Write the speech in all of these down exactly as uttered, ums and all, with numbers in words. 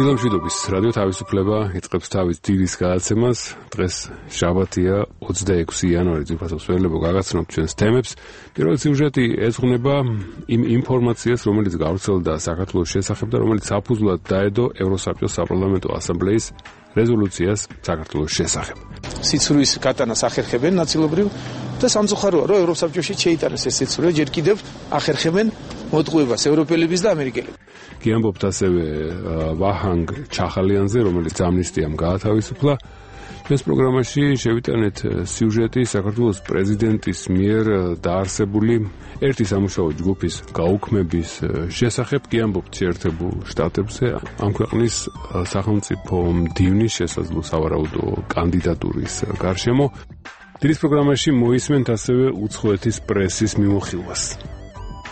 დილამშვიდობის რადიო თავისუფლება იწყებს თავის დილის გადაცემას. დღეს შაბათია, ოცდაექვსი იანვარი, ძვირფასობს ველებო გაგაცნობთ ჩვენს თემებს. პირველი სიუჟეტი ეძღვნება იმ ინფორმაციას, რომელიც გავრცელდა საქართველოს შესახებ და რომელიც საფუძვლად დაედო ევროსაბჭოს საპარლამენტო ასამბლეის რეზოლუციას საქართველოს შესახებ. სიცრუის გატანას ახერხებენ ნაწილობრივ და სამწუხაროა, რომ ევროსაბჭოში შეიტანეს ეს სიცრუე, ჯერ კიდევ ახერხებენ მოტყუებას ევროპელების და ამერიკელების. გიამბობთ ასევე ვაჰანგ ჩახალიანზე, რომელიც ამნისტიამ გაათავისუფლა. ჩვენს პროგრამაში შევიტანეთ სიუჟეტი საქართველოს პრეზიდენტის მიერ დაარსებული ერთი სამუშაო ჯგუფის გაუქმების შესახებ. გიამბობთ შეერთებულ შტატებზე ამ ქვეყნის სახელმწიფო მდივნის შესაძლო სავარაუდო კანდიდატურის გარშემო. დილის პროგრამაში მოისმენთ ასევე უცხოეთის პრესის მიმოხილვას.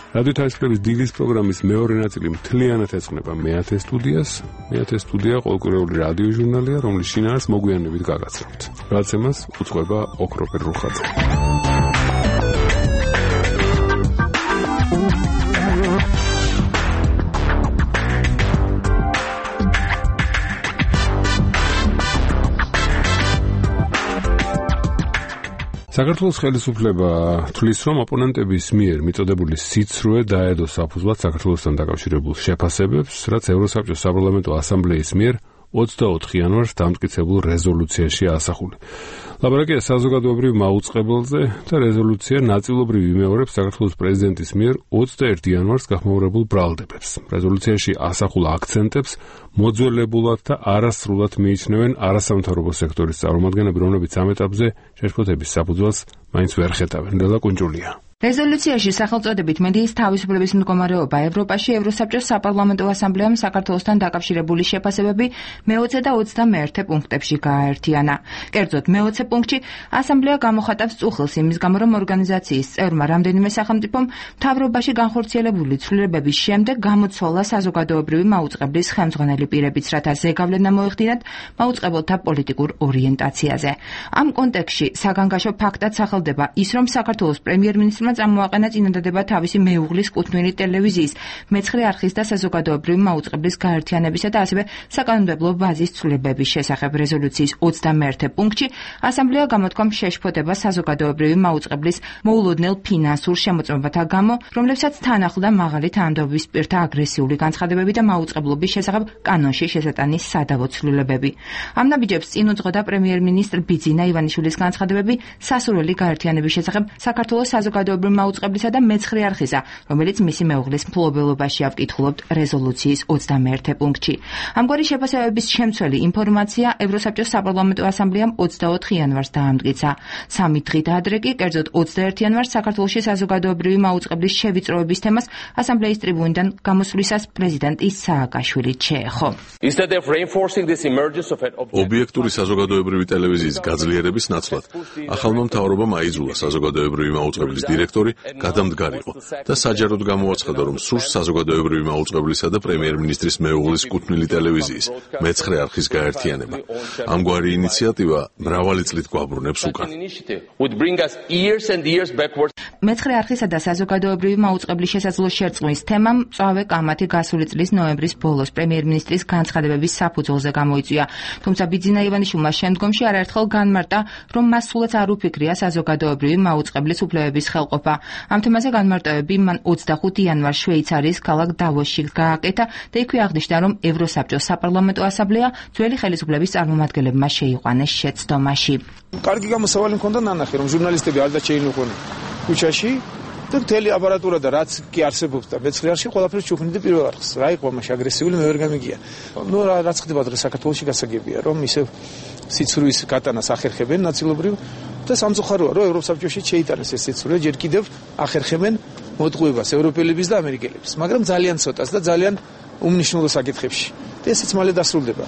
რადიო თავისუფლების დილის პროგრამის მეორე ნაწილი მთლიანად ეძღვნება მეათე სტუდიას. მეათე სტუდია ყოველკვირეული რადიო ჟურნალია, რომლის შინაარს მოგვიანებით გაგაცნობთ. გადაცემას უძღვება ოქროპერ რუხაძე. საქართველოს ხელისუფლება თვლის, რომ ოპონენტების მიერ მიწოდებული სიცრუე დაედო საფუძვლად საქართველოსთან დაკავშირებულ შეფასებებს, რაც ევროსაბჭოს საპარლამენტო ასამბლეის მიერ ოცდაოთხ იანვარს დამტკიცებულ რეზოლუციაში ასახული. ლაბორატორია საზოგადოებრივ მაუწყებელზე და რეზოლუცია ნაწილობრივ იმეორებს საქართველოს პრეზიდენტის მიერ ოცდაერთი იანვარს გახმაურებულ ბრალდებებს. რეზოლუციაში ასახულ აქცენტებს მოძველებულად და არასრულად მიიჩნევენ არასამთავრობო სექტორის წარმომადგენლები, რომლებიც ამ ეტაპზე შეშფოთების საფუძველს მაინც ვერ ხედავენ. ნელა კუნჯულია. რეზოლუციაში სახელწოდებით მედიის თავისუფლების მდგომარეობა ევროპაში ევროსაბჭოს საპარლამენტო ასამბლეამ საქართველოსთან დაკავშირებული შეფასებები მეოცე და ოცდამეერთე პუნქტებში გააერთიანა. კერძოდ, მეოცე პუნქტში ასამბლეა გამოხატავს წუხილს იმის გამო, რომ ორგანიზაციის წევრმა რამდენიმე სახელმწიფომ მთავრობაში განხორციელებული ცვლილებების შემდეგ გამოცვალა საზოგადოებრივი მაუწყებლის ხელმძღვანელი პირებიც, რათა ზეგავლენა მოეხდინათ მაუწყებელთა პოლიტიკურ ორიენტაციაზე. ამ კონტექსტში საგანგაშო ფაქტად სახელდება ის, რომ საქართველოს პრემიერ-მინისტრმა წამოაყენა წინადადება თავისი მეუღლის კუთვნილი ტელევიზიის, მეცხრე არხის და საზოგადოებრივი მაუწყებლის გაერთიანებისა და ასევე საკანონმდებლო ბაზის ცვლილებების შესახებ. რეზოლუციის ოცდამეერთე პუნქტში ასამბლეა გამოთქვამს შეშფოთება საზოგადოებრივი მაუწყებლის მოულოდნელ ფინანსურ შემოწმებათა გამო, რომლებსაც თან ახლდა მაღალი თანამდებობის პირთა აგრესიული განცხადებები და მაუწყებლობის შესახებ კანონში შესატანის სადავო ცვლილებები. ამ ნაბიჯებს წინ უძღოდა პრემიერ-მინისტრ ბიძინა ივანიშვილის განცხადებები სასურველი გაერთიანების შესახებ საქართველოს საზოგადოებრივი მაუწყებლისა და მეცხრე არხისა, რომელიც მისი მეუღლის მფლობელობაში ავკითხულობთ რეზოლუციის ოცდამეერთე პუნქტში. ამგვარი შეფასებების შემცველი ინფორმაცია ევროსაბჭოს საპარლამენტო ასამბლეამ ოცდაოთხ იანვარს დაამტკიცა. სამი დღით ადრე კი, კერძოდ ოცდაერთი იანვარს საქართველოში საზოგადოებრივი მაუწყებლის შევიწროების თემას ასამბლეის ტრიბუნიდან გამოსვლისას პრეზიდენტი სააკაშვილი ჩეეხო. ობიექტური საზოგადოებრივი ტელევიზიის გაძლიერების ნაცვლად ახალმა მთავრობამ აიძულა საზოგადოებრივი მაუწყებლის დირექტორი გადამდგარიყო და საჯაროდ გამოაცხადა, რომ სურს საზოგადოებრივი მაუწყებლისა და პრემიერ-მინისტრის მეუღლის კუთვნილი ტელევიზიის მეცხრე არხის გაერთიანება. ამგვარი ინიციატივა მრავალი წლით გვაბრუნებს უკან. მეცხრე არხისა და საზოგადოებრივი მაუწყებლის შესაძლო შერწყმის თემამ მწვავე კამათი გასული წლის ნოემბრის ბოლოს პრემიერ-მინისტრის განცხადებების საფუძველზე გამოიწვია. თუმცა ბიძინა ივანიშვილმა შემდგომში არაერთხელ განმარტა, რომ მას სულაც არ უფიქრია საზოგადოებრივი მაუწყებლის უფლებების ხელყოფა. ამ თემაზე განმარტებები მან ოცდახუთი იანვარს შვეიცარიის ქალაქ დავოსში გააკეთა და იქვე აღნიშნა, რომ ევროსაბჭოს საპარლამენტო ასამბლეა ძველი ხელისუფლების წარმომადგენლებმა შეიყვანეს შეცდომაში. კარგი გამოსავალი მქონდა ნანახი, რომ ჟურნალისტები არ დაჩეინუყვნენ ქუჩაში და მთელი აპარატურა და რაც კი არსებობს და მეცხრე არხში ყველაფერს ჩუქნიდა პირველ არხს. რა იყო მაშინ აგრესიული მე ვერ გამიგია. ნუ რაც ხდება დღეს საქართველოში გასაგებია, რომ ისევ სიცრუის გატანას ახერხებენ ნაწილობრივ და სამწუხაროა, რომ ევროსაბჭოში შეიტანეს ეს სიცრუე, ჯერ კიდევ ახერხებენ მოტყუებას ევროპელების და ამერიკელების, მაგრამ ძალიან ცოტას და ძალიან უმნიშვნელო საკითხებში. და ესეც მალე დასრულდება.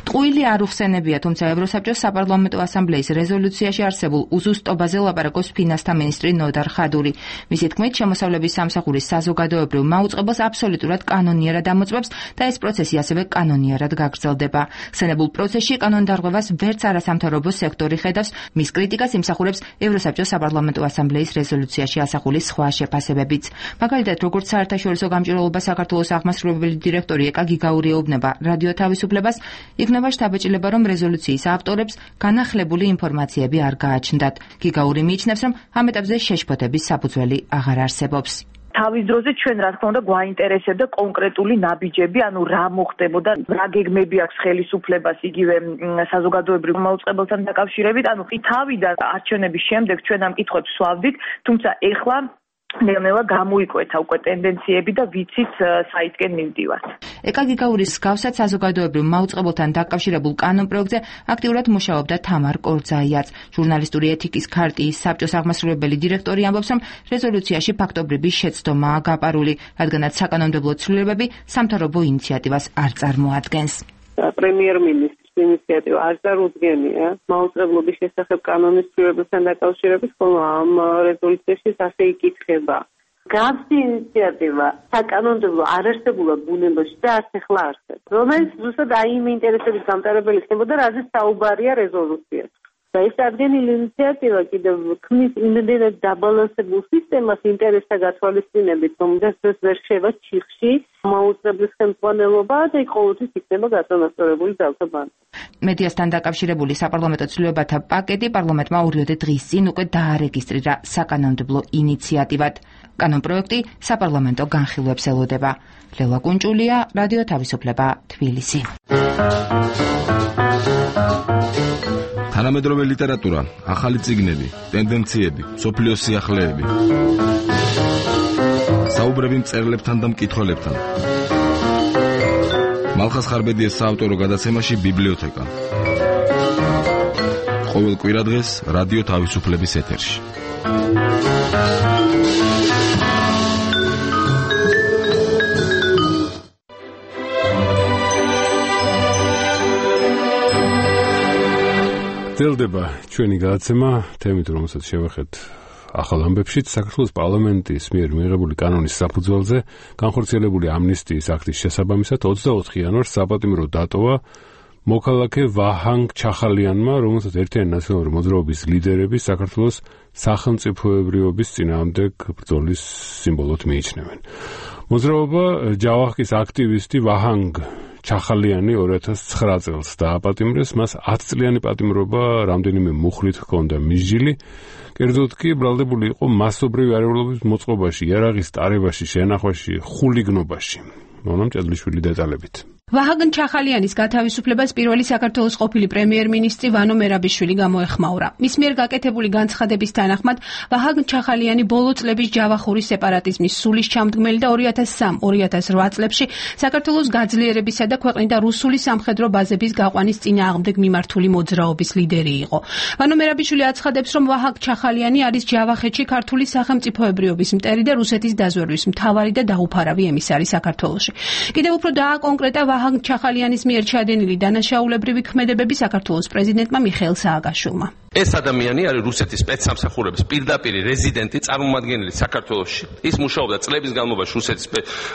ტყუილი არ უხსენებია, თუმცა ევროსაბჭოს საპარლამენტო ასამბლეის რეზოლუციაში არსებულ უზუსტობაზე ლაპარაკობს ფინანსთა მინისტრი ნოდარ ხადური. მისი თქმით, შემოსავლების სამსახურის საზოგადოებრივ მაუწყებელს აბსოლუტურად კანონიერად ამოწმებს და ეს პროცესი ასევე კანონიერად გაგრძელდება. ხსენებულ პროცესში კანონდარღვევას ვერც არასამთავრობო სექტორი ხედავს, მის კრიტიკას იმსახურებს ევროსაბჭოს საპარლამენტო ასამბლეის რეზოლუციაში ასახული სხვა შეფასებებიც. მაგალითად, როგორც საერთაშორისო გამჭირვალობა საქართველოს აღმასრულებელი დირექტორი ეკა გიგაური ეუბნება, ეუბნება რადიო თავისუფლებას, იქნება შთაბეჭდილება, რომ რეზოლუციის ავტორებს განახლებული ინფორმაციები არ გააჩნდათ. გიგაური მიიჩნევს, რომ ამ ეტაპზე შეშფოთების საფუძველი აღარ არსებობს. თავის დროზე ჩვენ რა თქმა უნდა გვაინტერესებდა კონკრეტული ნაბიჯები, ანუ რა მოხდებოდა, რა გეგმები აქვს ხელისუფლებას იგივე საზოგადოებრივ მაუწყებელთან დაკავშირებით, ანუ თავიდან არჩევნების შემდეგ ჩვენ ამ კითხვებს ვსვავდით, თუმცა ეხლა ნელ-ნელა გამოიკვეთა უკვე ტენდენციები და ვიცით საითკენ მივდივართ. ეკა გიგაურის მსგავსად საზოგადოებრივ მაუწყებელთან დაკავშირებულ კანონ პროექტზე აქტიურად მუშაობდა თამარ კორძაიაც. ჟურნალისტური ეთიკის ქარტიის საბჭოს აღმასრულებელი დირექტორი ამბობს, რომ რეზოლუციაში ფაქტობრივი შეცდომაა გაპარული, რადგანაც საკანონმდებლო ცვლილებები სამთავრობო ინიციატივას არ წარმოადგენს. პრემიერ-მინისტრის ინიციატივა არ წარუდგენია მაუწყებლობის შესახებ კანონის ცვლილებებთან დაკავშირებით, ხოლო ამ რეზოლუციაში ასე იკითხება. Გავსი ინიციატივა საკანონმდებლო არარსებულად ბუნებაში და არც ახლა არსებობს, რომელიც ზუსტად აი იმ ინტერესების გამტარებელი ხდებოდა, რაზეც საუბარია რეზოლუციაში. და ეს ადგენილი ინიციატივა კიდევ ქმნის იმდენად დაბალანსებულ სისტემას ინტერესთა გათვალისწინებით, რომ ეს ვერ შევა ჩიხში მაუწყებლის ხელმძღვანელობა და იქ ყოველთვის იქნება გაწონასწორებული ძალთა ბანკი. მედიასთან დაკავშირებული საპარლამენტო ცვლილებათა პაკეტი პარლამენტმა ორიოდე დღის წინ უკვე დაარეგისტრირა საკანონმდებლო ინიციატივად. კანონპროექტი საპარლამენტო განხილვებს ელოდება. ლელა კუნჭულია, რადიო თავისუფლება, თბილისი. თანამედროვე ლიტერატურა, ახალი წიგნები, ტენდენციები, მსოფლიოს სიახლეები. საუბრები მწერლებთან და მკითხველებთან. მალხაზ ხარბედიეს საავტორო გადაცემაში ბიბლიოთეკა. ყოველ კვირადღეს რადიო თავისუფლების ეთერში. გრძელდება ჩვენი გადაცემა თემით, რომელსაც შევეხეთ ახალ ამბებშიც. საქართველოს პარლამენტის მიერ მიღებული კანონის საფუძველზე განხორციელებული ამნისტიის აქტის შესაბამისად ოცდაოთხ იანვარს საპატიმრო დატოვა მოქალაქე ვაჰანგ ჩახალიანმა, რომელსაც ერთიანი ნაციონალური მოძრაობის ლიდერები საქართველოს სახელმწიფოებრიობის წინააღმდეგ ბრძოლის სიმბოლოდ მიიჩნევენ. მოძრაობა ჯავახის აქტივისტი ვაჰანგ ჩახალიანი ორი ათას ცხრა წელს დააპატიმრეს, მას ათი წლიანი პატიმრობა რამდენიმე მუხლით ჰქონდა მისჯილი. კერძოდ კი ბრალდებული იყო მასობრივი არეულობის მოწყობაში, იარაღის ტარებაში, შენახვაში, ხულიგნობაში. მონამ ჭედლიშვილი დეტალებით. ვაჰანგ ჩახალიანის გათავისუფლებას პირველი საქართველოს ყოფილი პრემიერ-მინისტრი ვანო მერაბიშვილი გამოეხმაურა. მის მიერ გაკეთებული განცხადების თანახმად ვაჰანგ ჩახალიანი ბოლო წლების ჯავახური სეპარატიზმის სულის ჩამდგმელი და ორი ათას სამი ორი ათას რვა წლებში საქართველოს გაძლიერებისა და ქვეყნიდან რუსული სამხედრო ბაზების გაყვანის წინააღმდეგ მიმართული მოძრაობის ლიდერი იყო. ვანო მერაბიშვილი აცხადებს, რომ ვაჰანგ ჩახალიანი არის ჯავახეთში ქართული სახელმწიფოებრიობის მტერი და რუსეთის დაზვერვის მთავარი და დაუფარავი ემისარი საქართველოში. კიდევ უფრო დააკონკრეტა ვაჰანგ ჩახალიანის მიერ ჩადენილი დანაშაულებრივი ქმედებები საქართველოს პრეზიდენტმა მიხეილ სააკაშვილმა. ეს ადამიანი არის რუსეთის სპეცსამსახურების პირდაპირ რეზიდენტი, წარმომადგენელი საქართველოში. ის მუშაობდა წლების განმავლობაში რუსეთის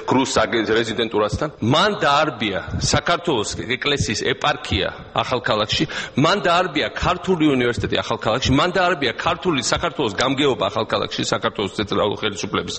გრუს რეზიდენტურასთან. მან დაარბია საქართველოს ეკლესიის ეპარქია ახალქალაქში, მან დაარბია ქართული უნივერსიტეტი ახალქალაქში, მან დაარბია ქართული საქართველოს გამგეობა ახალქალაქში, საქართველოს ცენტრალური ხელისუფლების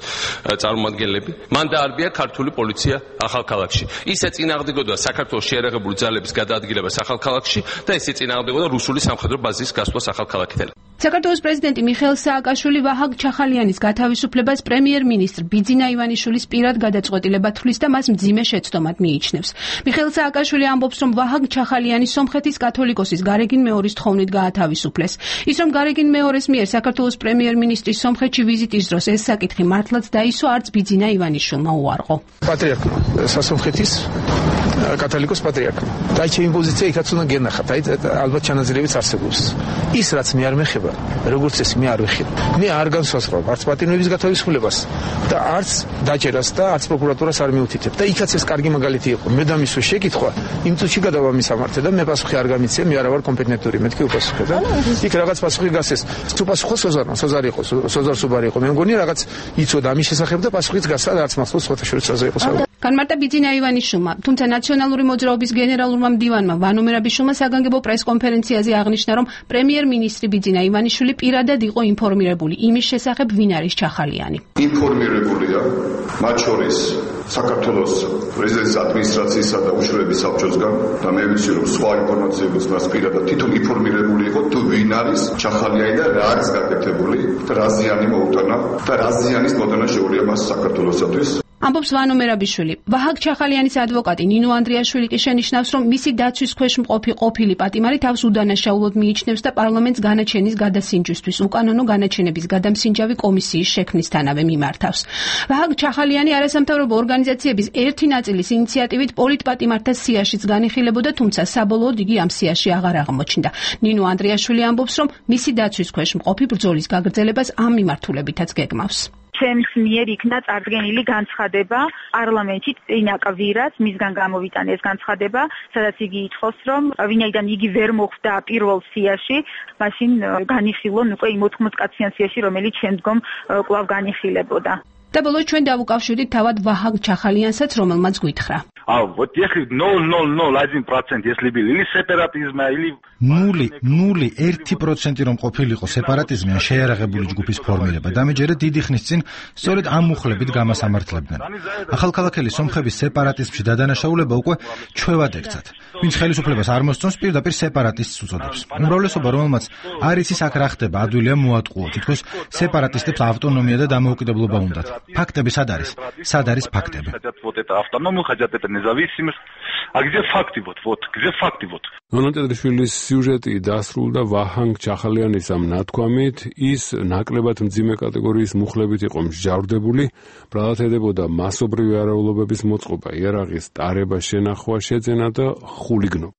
წარმომადგენლები, მან დაარბია ქართული პოლიცია ახალქალაქში. ის ეწინააღმდეგებოდა საქართველოს შეერაღებული ძალების გადაადგილებას ახალქალაქში და ის ეწინააღმდეგებოდა რუსული სამხედრო ბაზის გასვლას ახალქალაქიდან. საქართველოს პრეზიდენტი მიხეილ სააკაშვილი ვაჰანგ ჩახალიანის გათავისუფლებას პრემიერ-მინისტრ ბიძინა ივანიშვილის პირად გადაწყვეტილება თვლის და მას მძიმე შეცდომად მიიჩნევს. მიხეილ სააკაშვილი ამბობს, რომ ვაჰანგ ჩახალიანი სომხეთის კათოლიკოსის გარეგინ მეორის თხოვნით გაათავისუფლეს. ის რომ გარეგინ მეორის მიერ საქართველოს პრემიერ-მინისტრის სომხეთში ვიზიტის დროს ეს საკითხი მართლაც დაისვა, არც ბიძინა ივანიშვილმა უარყო. პატრიარქმა სასომხეთის კათოლიკოს პატრიარქმა. და ჩემი პოზიცია იქაც უნდა გენახათ, აი ალბათ ჩანაწერებიც არსებობს. ის რაც მე არ მეხება, როგორც ეს მე არ ვეხებ. მე არ განსაზღვრავ არც პატიმრების გათავისუფლებას და არც დაჭერას და არც პროკურატურას არ მიუთითებ. და იქაც ეს კარგი მაგალითი იყო. მე დამისვე შეკითხვა, იმ წუთში გადავა მისამართზე და მე პასუხი არ გამიცე, მე არა ვარ კომპეტენტური, მეთქი უპასუხე და იქ რაღაც პასუხი გასცეს. თუ პასუხო სოზარმა, სოზარი იყო, სოზარ სუბარი იყო. მე მგონი რაღაც იცოდა ამის შესახებ და პასუხიც გასცა და არც მახსოვს სხვათა შორის რაზე იყო საუბარი. განმარტა ბიძინა ივანიშვილმა, თუმცა ნაციონალური მოძრაობის გენერალურმა მდივანმა ვანო მერაბიშვილმა საგანგებო პრეს-კონფერენციაზე აღნიშნა, რომ პრემიერ-მინისტრი ბიძინა ივანიშვილი პირადად იყო ინფორმირებული იმის შესახებ, ვინ არის ჩახალიანი. ინფორმირებულია მათ შორის საქართველოს პრეზიდენტის ადმინისტრაციისა და უშუალების საბჭოსგან და მე ვიცი, რომ სხვა ინფორმაციებიც მას პირადად თვითონ ინფორმირებული იყო, თუ ვინ არის ჩახალიანი და რა არის გაკეთებული და რა ზიანი მოუტანა და რა ზიანის მოდანა შეუძლია მას საქართველოსთვის. ამბობს ვანო მერაბიშვილი. ვაჰაგ ჩახალიანის ადვოკატი ნინო ანდრიაშვილი კი შენიშნავს, რომ მისი დაცვის ქვეშ მყოფი ყოფილი პატიმარი თავს უდანაშაულოდ მიიჩნევს და პარლამენტს განაჩენის გადასინჯვისთვის უკანონო განაჩენების გადამსინჯავი კომისიის შექმნისთანავე მიმართავს. ვაჰაგ ჩახალიანი არასამთავრობო ორგანიზაციების ერთი ნაწილის ინიციატივით პოლიტპატიმართა სიაშიც განიხილებოდა, თუმცა საბოლოოდ იგი ამ სიაში აღარ აღმოჩნდა. ნინო ანდრიაშვილი ამბობს, რომ მისი დაცვის ქვეშ მყოფი ბრძოლის გაგრძელებას ამ მიმართულებითაც გეგმავს. ჩემს მიერ იქნა წარდგენილი განცხადება პარლამენტში წინაკვირას მისგან გამოვიტანე ეს განცხადება, სადაც იგი ითხოვს, რომ ვინაიდან იგი ვერ მოხვდა პირველ სიაში, მაშინ განიხილონ უკვე იმ ოთხმოც კაციან სიაში, რომელიც შემდგომ კვლავ განიხილებოდა. და ბოლოს ჩვენ დავუკავშირდით თავად ვაჰაგ ჩახალიანსაც, რომელმაც გვითხრა. А вот если ноль целых ноль один процент если были или сепаратизма или ნული ნული ერთი პროცენტი რომ ყოფილიყო სეპარატიზმი ან შეიარაღებული ჯგუფის ფორმირება და მეჯერე დიდი ხნის წინ სწორედ ამ მუხლებით გამასამართლებდნენ. ახალქალაქელი სომხების სეპარატიზმში დადანაშაულება უკვე ჩვევად ექცათ. ვინც ხელისუფლებას არ მოსწონს, პირდაპირ სეპარატისტს უწოდებს. უმრავლესობა, რომელმაც არ იცის აქ რა ხდება, ადვილია მოატყუო, თითქოს სეპარატისტებს ავტონომია და დამოუკიდებლობა უნდათ. ფაქტები სად არის? სად არის ფაქტები? Вот это автономию хотят, это независимость. А где факты вот? Вот где факты вот? ნონო ტედრიშვილის სიუჟეტი დასრულდა ვაჰანგ ჩახალიანის ამ ნათქვამით, ის ნაკლებად მძიმე კატეგორიის მუხლებით იყო მსჯავრდებული, ბრალათედებოდა მასობრივი არაულობების მოწყობა, იარაღის ტარება, შენახვა, შეძენა და ხულიგნობა.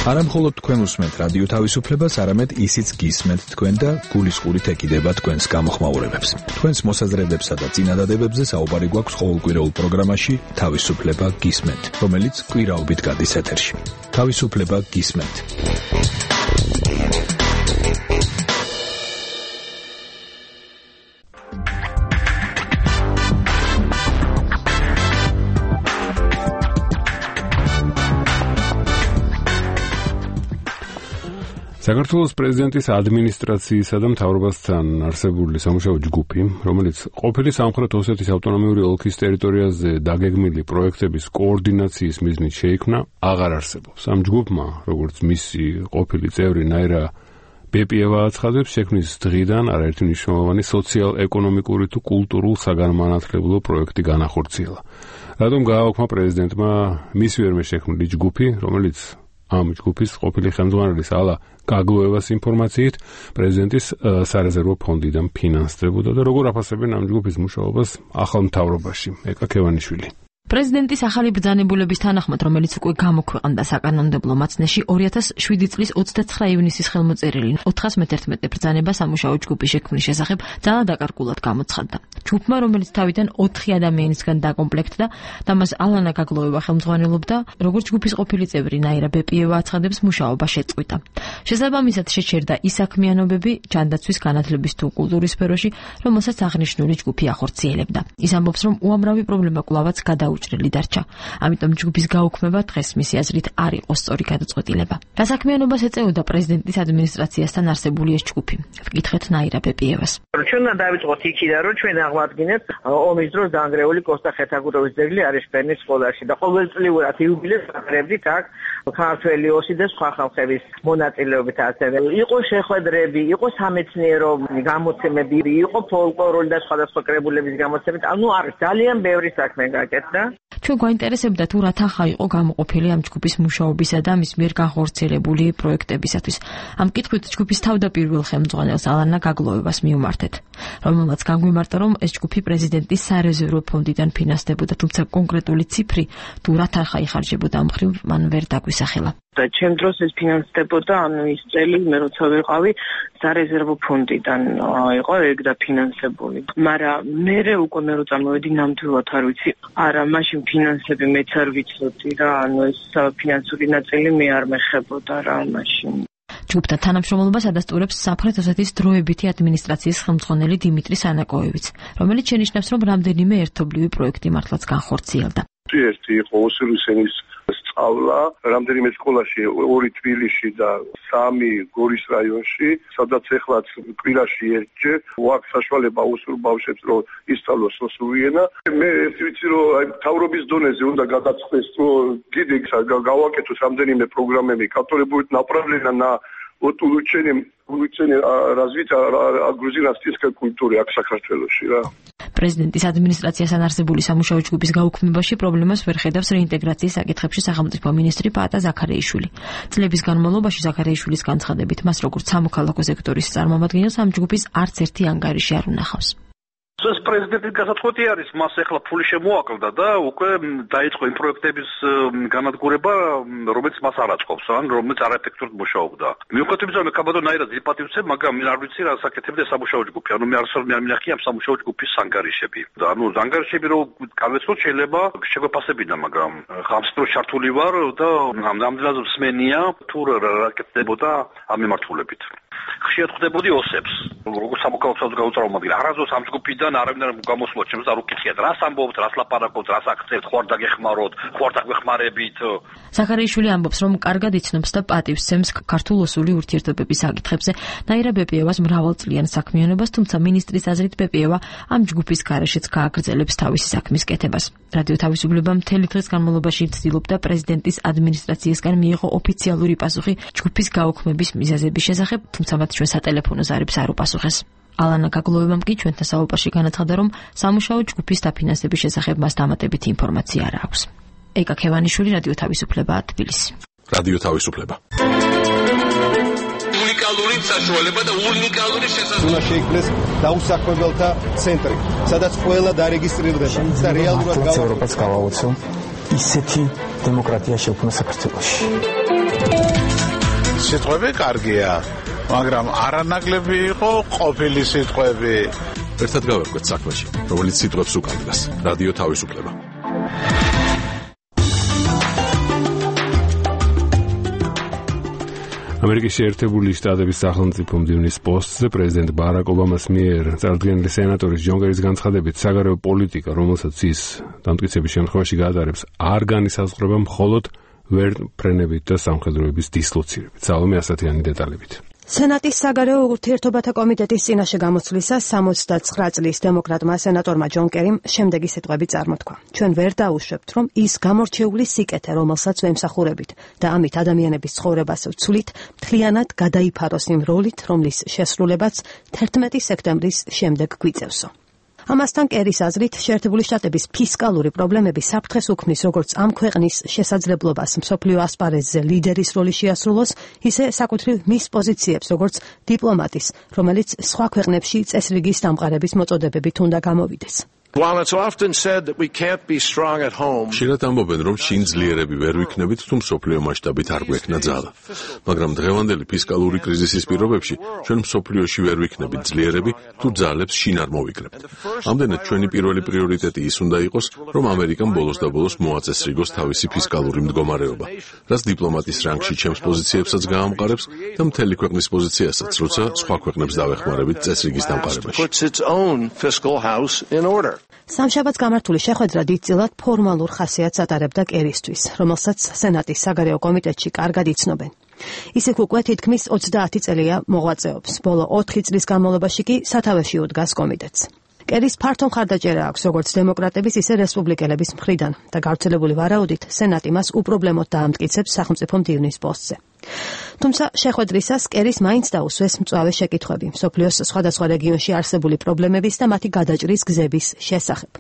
არა მხოლოდ თქვენ უსმენთ რადიო თავისუფლებას, არამედ ისიც გისმენთ თქვენ და გულისყურით ეკიდება თქვენს გამოხმაურებებს. თქვენს მოსაზრებებსა და წინადადებებზე საუბარი გვაქვს ყოველკვირეულ პროგრამაში თავისუფლება გისმენთ, რომელიც კვირაობით გადის ეთერში. თავისუფლება გისმენთ. საქართველოს პრეზიდენტის ადმინისტრაციისა და მთავრობასთან არსებული სამუშაო ჯგუფი, რომელიც ყოფილი სამხრეთ ოსეთის ავტონომიური ოლქის ტერიტორიაზე დაგეგმილი პროექტების კოორდინაციის მიზნით შეიქმნა, აღარ არსებობს. ამ ჯგუფმა, როგორც მისი ყოფილი წევრი ნაირა ბეპიევა აცხადებს, შექმნის დღიდან არაერთი მნიშვნელოვანი სოციალ-ეკონომიკური თუ კულტურულ-საგანმანათლებლო პროექტი განახორციელა. რატომ გააოქმა პრეზიდენტმა მის ვერმე შექმნილი ჯგუფი, რომელიც ამ ჯგუფის ყოფილი ხელმძღვანელის ალა გაგლოევას ინფორმაციით პრეზიდენტის სარეზერვო ფონდიდან ფინანსდებოდა და როგორ აფასებენ ამ ჯგუფის მუშაობას ახალ მთავრობაში. ეკა ქევანიშვილი. პრეზიდენტის ახალი ბრძანებულების თანახმად, რომელიც უკვე გამოქვეყნდა საკანონმდებლო მაცნეში, ორი ათას შვიდი წლის ოცდაცხრა ივნისის ხელმოწერილი ოთხას მეთერთმეტე ბრძანება სამუშაო ჯგუფის შექმნის შესახებ ძალა დაკარგულად გამოცხადდა. ჯგუფმა, რომელიც თავიდან ოთხი ადამიანისგან დაკომპლექტდა და მას ალანა გაგლოევა ხელმძღვანელობდა, როგორც ჯგუფის ყოფილი წევრი ნაირა ბეპიევა აცხადებს, მუშაობა შეწყვიტა. შესაბამისად შეჩერდა ის საქმიანობები ჯანდაცვის, განათლების თუ კულტურის სფეროში, რომელსაც აღნიშნული ჯგუფი ახორციელებდა. ის ამბობს, რომ უამრავი პრობლემა კვლავაც გადაუჭრელი დარჩა. ამიტომ ჯგუფის გაუქმება დღეს მისი აზრით არ იყო სწორი გადაწყვეტილება. გასაქმიანობას ეწეოდა პრეზიდენტის ადმინისტრაციასთან არსებული ეს ჯგუფი. ვკითხეთ ნაირა ბეპიევას. ჩვენ უნდა დავიწყოთ იქიდან, რომ ჩვენ აღვადგინეთ ომის დროს დაანგრეული კოსტა ხეთაგუროვის ძეგლი არიშპერნის სკოლაში და ყოველწლიურად იუბილეს ვაკრებდით აქ ქართველი ოსი და სხვა ხალხების მონაწილეობით ასევე. იყო შეხვედრები, იყო სამეცნიერო გამოცემები, იყო ფოლკლორული და სხვადასხვა კრებულების გამოცემები. ანუ არის ძალიან ბევრი საქმე გაკეთდა. ჩვენ გვაინტერესებდა თუ რა თანხა იყო გამოყოფილი ამ ჯგუფის მუშაობისა და მის მიერ განხორციელებული პროექტებისათვის. ამ კითხვით ჯგუფის თავდაპირველ ხელმძღვანელს ალანა გაგლოევას მივმართეთ, რომელმაც განგვიმარტა, რომ ეს ჯგუფი პრეზიდენტის სარეზერვო ფონდიდან ფინანსდებოდა, თუმცა კონკრეტული ციფრი თუ რა თანხა იხარჯებოდა ამ მხრივ მან ვერ დაგვისახელა. და ჩემ დროს ეს ფინანსდებოდა, ანუ ის წელი მე როცა ვიყავი სარეზერვო ფონდიდან იყო ეგ და ფინანსებული. მაგრამ მე უკვე მე როცა მოვედი ნამდვილად არ ვიცი. არა, მაშინ ფინანსები მეც არ ვიცოდი რა, ანუ ეს ფინანსური ნაწილი მე არ მეხებოდა რა მაშინ. ჯგუფთან თანამშრომლობას ადასტურებს სამხრეთ ოსეთის დროებითი ადმინისტრაციის ხელმძღვანელი დიმიტრი სანაკოევიც, რომელიც შენიშნავს, რომ რამდენიმე ერთობლივი პროექტი მართლაც განხორციელდა. ერთი იყო ოსურისენის სწავლა, რამდენიმე სკოლაში, ორი თბილისში და სამი გორის რაიონში, სადაც ეხლაც კვირაში ერთჯერ აქვს საშუალება ოსურ ბავშვებს რომ ისწავლოს ოსური ენა. მე ერთი ვიცი რომ აი მთავრობის დონეზე უნდა გადაწყდეს რომ კიდე გავაკეთოს რამდენიმე პროგრამები კატორებუით направлена на вот улучшение улучшение развития грузинской культуры აქ საქართველოში რა. პრეზიდენტის ადმინისტრაციასთან არსებული სამუშაო ჯგუფის გაუქმებაში პრობლემას ვერ ხედავს რეინტეგრაციის საკითხებში სახელმწიფო მინისტრი პაატა ზაქარეიშვილი. წლების განმავლობაში ზაქარეიშვილის განცხადებით მას როგორც სამოქალაქო სექტორის წარმომადგენელს ამ ჯგუფის არც ერთი ანგარიში არ უნახავს. ეს პრეზიდენტის გასათხოვი არის, მას ახლა ფული შემოაკლდა და უკვე დაიწყო იმ პროექტების განადგურება, რომელიც მას არ აწყობს, ან რომელიც არაეფექტურად მუშაობდა. მიუხედავად იმისა, რომ კაბადონაირად იპატივცე, მაგრამ მე არ ვიცი რა საკეთებდა სამუშაო ჯგუფი. ანუ მე არასოდეს მე არ მინახია ამ სამუშაო ჯგუფის ანგარიშები. და ანუ ანგარიშები რომ გავეცოთ შეიძლება შეგვეფასებინა, მაგრამ ხამს დრო ჩართული ვარ და ამდენად მსმენია თუ რა კეთდებოდა ამ მიმართულებით. ხშირად ხვდებოდი ოსებს, როგორც სამოქალაქო საზოგადოების არასდროს ამ ჯგუფიდან არავინ არ გამოსულა ჩემს არ უკითხიათ, რას ამბობთ, რას ლაპარაკობთ, რას აქცევთ, ხო არ დაგეხმაროთ, ხო არ დაგვეხმარებით. ზაქარეიშვილი ამბობს, რომ კარგად იცნობს და პატივს სცემს ქართულ-ოსური ურთიერთობების საკითხებზე. ნაირა ბეპიევას მრავალწლიან საქმიანობას, თუმცა მინისტრის აზრით ბეპიევა ამ ჯგუფის გარეშეც გააგრძელებს თავისი საქმის კეთებას. რადიო თავისუფლება მთელი დღის განმავლობაში ცდილობდა პრეზიდენტის ადმინისტრაციისგან მიიღო ოფიციალური პასუხი ჯგუფის გაუქმების მიზეზების შესახებ, თუმცა მათ ჩვენ სატელეფონო ზარებს არ უპასუხეს. ალანა გაგლოვებამ კი ჩვენთან საუბარში განაცხადა, რომ სამუშაო ჯგუფის დაფინანსების შესახებ მას დამატებითი ინფორმაცია არ აქვს. ეკა ქევანიშვილი, რადიო თავისუფლება, თბილისი. რადიო თავისუფლება. უნიკალური საშუალება და უნიკალური შესაძლებლობა. უნდა შეიქმნეს დაუსაქმებელთა ცენტრი, სადაც ყველა დარეგისტრირდება და რეალურად ევროპას გავაოცო ისეთი დემოკრატია შექმნა საქართველოში. სიტყვები კარგია, მაგრამ არანაკლები იყო ყოფილი სიტყვები. ერთად გავერკვეთ საქმეში, რომელიც სიტყვებს უკავშირდება. რადიო თავისუფლება. ამერიკის შეერთებული შტატების სახელმწიფო მდივნის პოსტზე პრეზიდენტ ბარაკ ობამას მიერ წარდგენილი სენატორის ჯონ კერის განცხადებით საგარეო პოლიტიკა, რომელსაც ის დამტკიცების შემთხვევაში გაატარებს, არ განისაზღვრება მხოლოდ ვერტმფრენებით და სამხედროების დისლოცირებით. სალომე ასათიანი დეტალებით. სენატის საგარეო ურთიერთობათა კომიტეტის წინაშე გამოცვლისას სამოცდაცხრა წლის დემოკრატმა სენატორმა ჯონ კერიმ შემდეგი სიტყვები წარმოთქვა. ჩვენ ვერ დაუშვებთ, რომ ის გამორჩეული სიკეთე, რომელსაც ვემსახურებით და ამით ადამიანების ცხოვრებას ვცვლით, მთლიანად გადაიფაროს იმ როლით, რომლის შესრულებაც თერთმეტი სექტემბრის შემდეგ გვიწევსო. ამასთან კერის აზრით, შეერთებული შტატების ფისკალური პრობლემები საფრთხეს უქმნის როგორც ამ ქვეყნის შესაძლებლობას მსოფლიო ასპარეზზე ლიდერის როლი შეასრულოს, ისე საკუთრივ მის პოზიციებს როგორც დიპლომატის, რომელიც სხვა ქვეყნებში წესრიგის დამყარების მოწოდებებით უნდა გამოვიდეს. While it's often said that we can't be strong at home, შეიძლება ამბობენ, რომ შინ ძლიერები ვერ ვიქნებით, თუ მსოფლიო მასშტაბით არ გვექნა ძალა. მაგრამ დღევანდელი ფისკალური კრიზისის პირობებში ჩვენ მსოფლიოში ვერ ვიქნებით ძლიერები, თუ ძალებს შინ არ მოვიკრებთ. ამდენად ჩვენი პირველი პრიორიტეტი ის უნდა იყოს, რომ ამერიკამ ბოლოს და ბოლოს მოაწესრიგოს თავისი ფისკალური მდგომარეობა, რაც დიპლომატის რანგში ჩემს პოზიციებსაც გაამყარებს და მთელი ქვეყნის პოზიციასაც, როცა სხვა ქვეყნებს დავეხმარებით წესრიგის დამყარებაში. სამშაბათს გამართული შეხვედრა დიდწილად ფორმალურ ხასიათს ატარებდა კერისთვის, რომელსაც სენატის საგარეო კომიტეტში კარგად იცნობენ. ის იქ უკვე თითქმის ოცდაათი წელია მოღვაწეობს, ბოლო ოთხი წლის განმავლობაში კი სათავეში უდგას კომიტეტს. კერის ფართო მხარდაჭერა აქვს როგორც დემოკრატების, ისე რესპუბლიკელების მხრიდან და გავრცელებული ვარაუდით სენატი მას უპრობლემოდ დაამტკიცებს სახელმწიფო მდივნის პოსტზე. თუმცა შეხვედრისას კერის მაინც დაუსვეს მწვავე შეკითხვები მსოფლიოს სხვადასხვა რეგიონში არსებული პრობლემების და მათი გადაჭრის გზების შესახებ.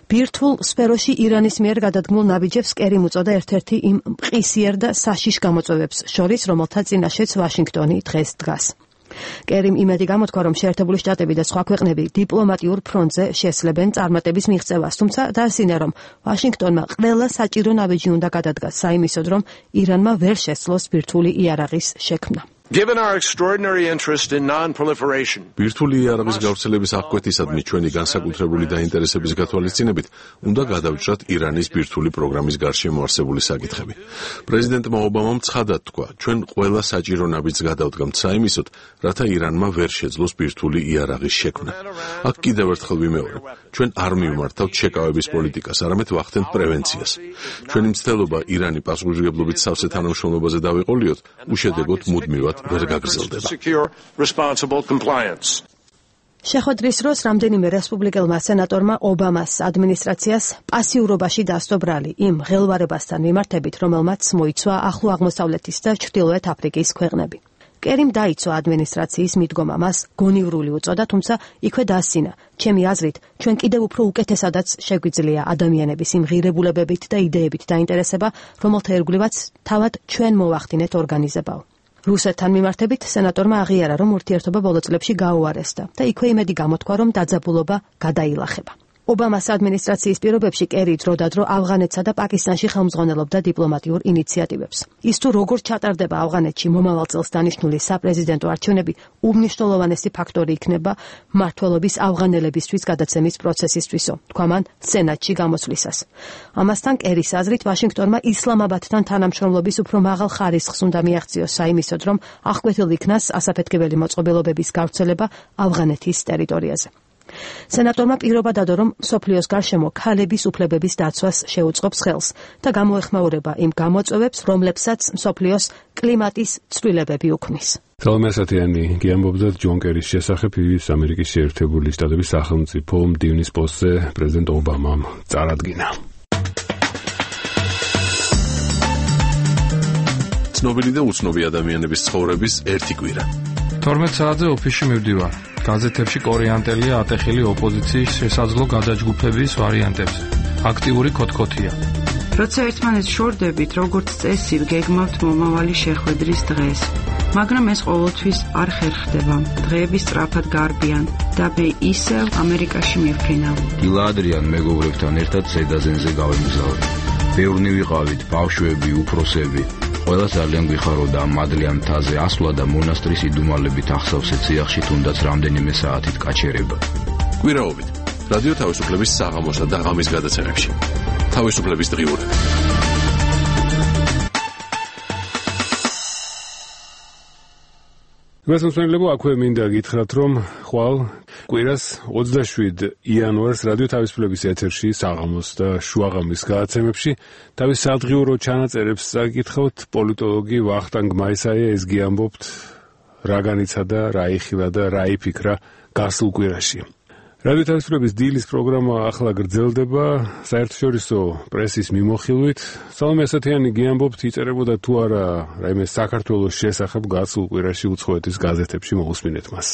ბირთვულ სფეროში ირანის მიერ გადადგმულ ნაბიჯებს კერი მოწოდა ერთ-ერთი იმ მყისიერ და საშიშ გამოწვევებს შორის, რომელთა წინაშეც ვაშინგტონი დღეს დგას. კერიმ იმედი გამოთქვა, რომ შეერთებული შტატები და სხვა ქვეყნები დიპლომატიურ ფრონტზე შესლებენ წარმატების მიღწევას, თუმცა დაასინა, რომ ვაშინგტონმა ყველა საჭირო ნაბიჯი უნდა გადადგას საიმისოდ, რომ ირანმა ვერ შესძლოს ბირთვული იარაღის შექმნა. Given our extraordinary interest in non-proliferation. ბირთვული იარაღის გავრცელების აღკვეთისადმი ჩვენი განსაკუთრებული დაინტერესების გათვალისწინებით უნდა გადავჭრათ ირანის ბირთვული პროგრამის გარშემო არსებული საკითხები. პრეზიდენტმა ობამამ ცხადად თქვა, ჩვენ ყველა საჭირო ნაბიჯს გადავდგამთ საიმისოდ, რათა ირანმა ვერ შეძლოს ბირთვული იარაღის შექმნა. აქ კიდევ ერთხელ ვიმეორებ, ჩვენ არ მივმართავთ შეკავების პოლიტიკას, არამედ ვახდენთ პრევენციას. ჩვენი მცდელობა ირანი პასუხისმგებლობით სავსე თანამშრომლობაზე დავეყოლიოთ, უშედეგოდ მუდმივად ვერ გაგრძელდება. შეხვედრის დროს რამდენიმე რესპუბლიკელმა სენატორმა ობამას ადმინისტრაციას პასიურობაში დასდო ბრალი იმ ღელვარებასთან მიმართებით, რომელმაც მოიცვა ახლო აღმოსავლეთის და ჩრდილოეთ აფრიკის ქვეყნები. კერიმ დაიცვა ადმინისტრაციის მიდგომა, მას გონივრული უწოდა, თუმცა იქვე დაასინა, ჩემი აზრით, ჩვენ კიდევ უფრო უკეთესადაც შეგვიძლია ადამიანების იმ ღირებულებებით და იდეებით დაინტერესება, რომელთა ერთგულივაც თავად ჩვენ მოვახდინეთ ორგანიზებაო. რუსეთთან მიმართებით სენატორმა აღიარა, რომ ურთიერთობა ბოლო წლებში გაუარესდა და იქვე იმედი გამოთქვა, რომ დაძაბულობა გადაილახება. ობამას ადმინისტრაციის პირობებში კერი დროდადრო ავღანეთსა და პაკისტანში ხელმძღვანელობდა დიპლომატიურ ინიციატივებს. ის თუ როგორ ჩატარდება ავღანეთში მომავალ წელს დანიშნული საპრეზიდენტო არჩევნები, უმნიშვნელოვანესი ფაქტორი იქნება მმართველობის ავღანელებისთვის გადაცემის პროცესისთვისო, თქვა მან სენატში გამოსვლისას. ამასთან კერის აზრით, ვაშინგტონმა ისლამაბადთან თანამშრომლობის უფრო მაღალ ხარისხს უნდა მიაღწიოს საიმისოდ, რომ აღკვეთილ იქნას ასაფეთქებელი მოწყობილობების გავრცელება ავღანეთის ტერიტორიაზე. სენატორმა პირობა დადო, რომ სოფლიოს გარშემო ქალების უფლებების დაცვას შეუწყობს ხელს და გამოეხმაურება იმ გამოწვევებს, რომლებსაც სოფლიოს კლიმატის ცვლილებები უქმნის. თელმესათიანი გიამბობდა ჯონ კერის შესახებ ის ამერიკის შეერთებული შტატების სახელმწიფო მდივნის პოსტზე პრეზიდენტ ობამამ წარადგინა. ცნობილი და უცნობი ადამიანების ცხოვრების ერთი კვირა. თორმეტ საათზე ოფისში მივდივარ. გაზეთებში კორეანტელია ატეხილი ოპოზიციის შესაძლო გადაჯგუფების ვარიანტებზე. აქტიური ქოთქოთია. როცა ერთმანეთს შორდებით, როგორც წესი, გეგმავთ მომავალი შეხვედრის დღეს. მაგრამ ეს ყოველთვის არ ხერხდება. დღეები სწრაფად გარბიან და მე ისევ ამერიკაში მივფრინავ. დილადრიან მეგობრებთან ერთად ზედაზენზე გავემგზავრე. ბევრნი ვიყავით, ბავშვები, უფროსები. ყველა ძალიან გვიხაროდა ამ მადლიან მთაზე ასვლა და მონასტრის იდუმალებით ახსავსე ციახში თუნდაც რამდენიმე საათით გაჩერება. კვირაობით რადიო თავისუფლების საღამოსა და ღამის გადაცემებში. თავისუფლების დღიურები. გასასწორებო აქვე მინდა გითხრათ, რომ ხვალ კვირას ოცდაშვიდ იანვარს რადიო თავისუფლების ეთერში საღამოს და შუაღამის გადაცემებში თავის სადღიურო ჩანაწერებს წაკითხავთ პოლიტოლოგი ვახტანგ მაისაია. ეს გიამბობთ რა განიცა და რა იხილა და რა იფიქრა გასულ კვირაში. რადიო თავისუფლების დილის პროგრამა ახლა გრძელდება საერთაშორისო პრესის მიმოხილვით. სალომე ასათიანი გიამბობთ, იწერებოდა თუ არა რაიმე საქართველოს შესახებ გასულ კვირაში უცხოეთის გაზეთებში მოусმინეთ მას.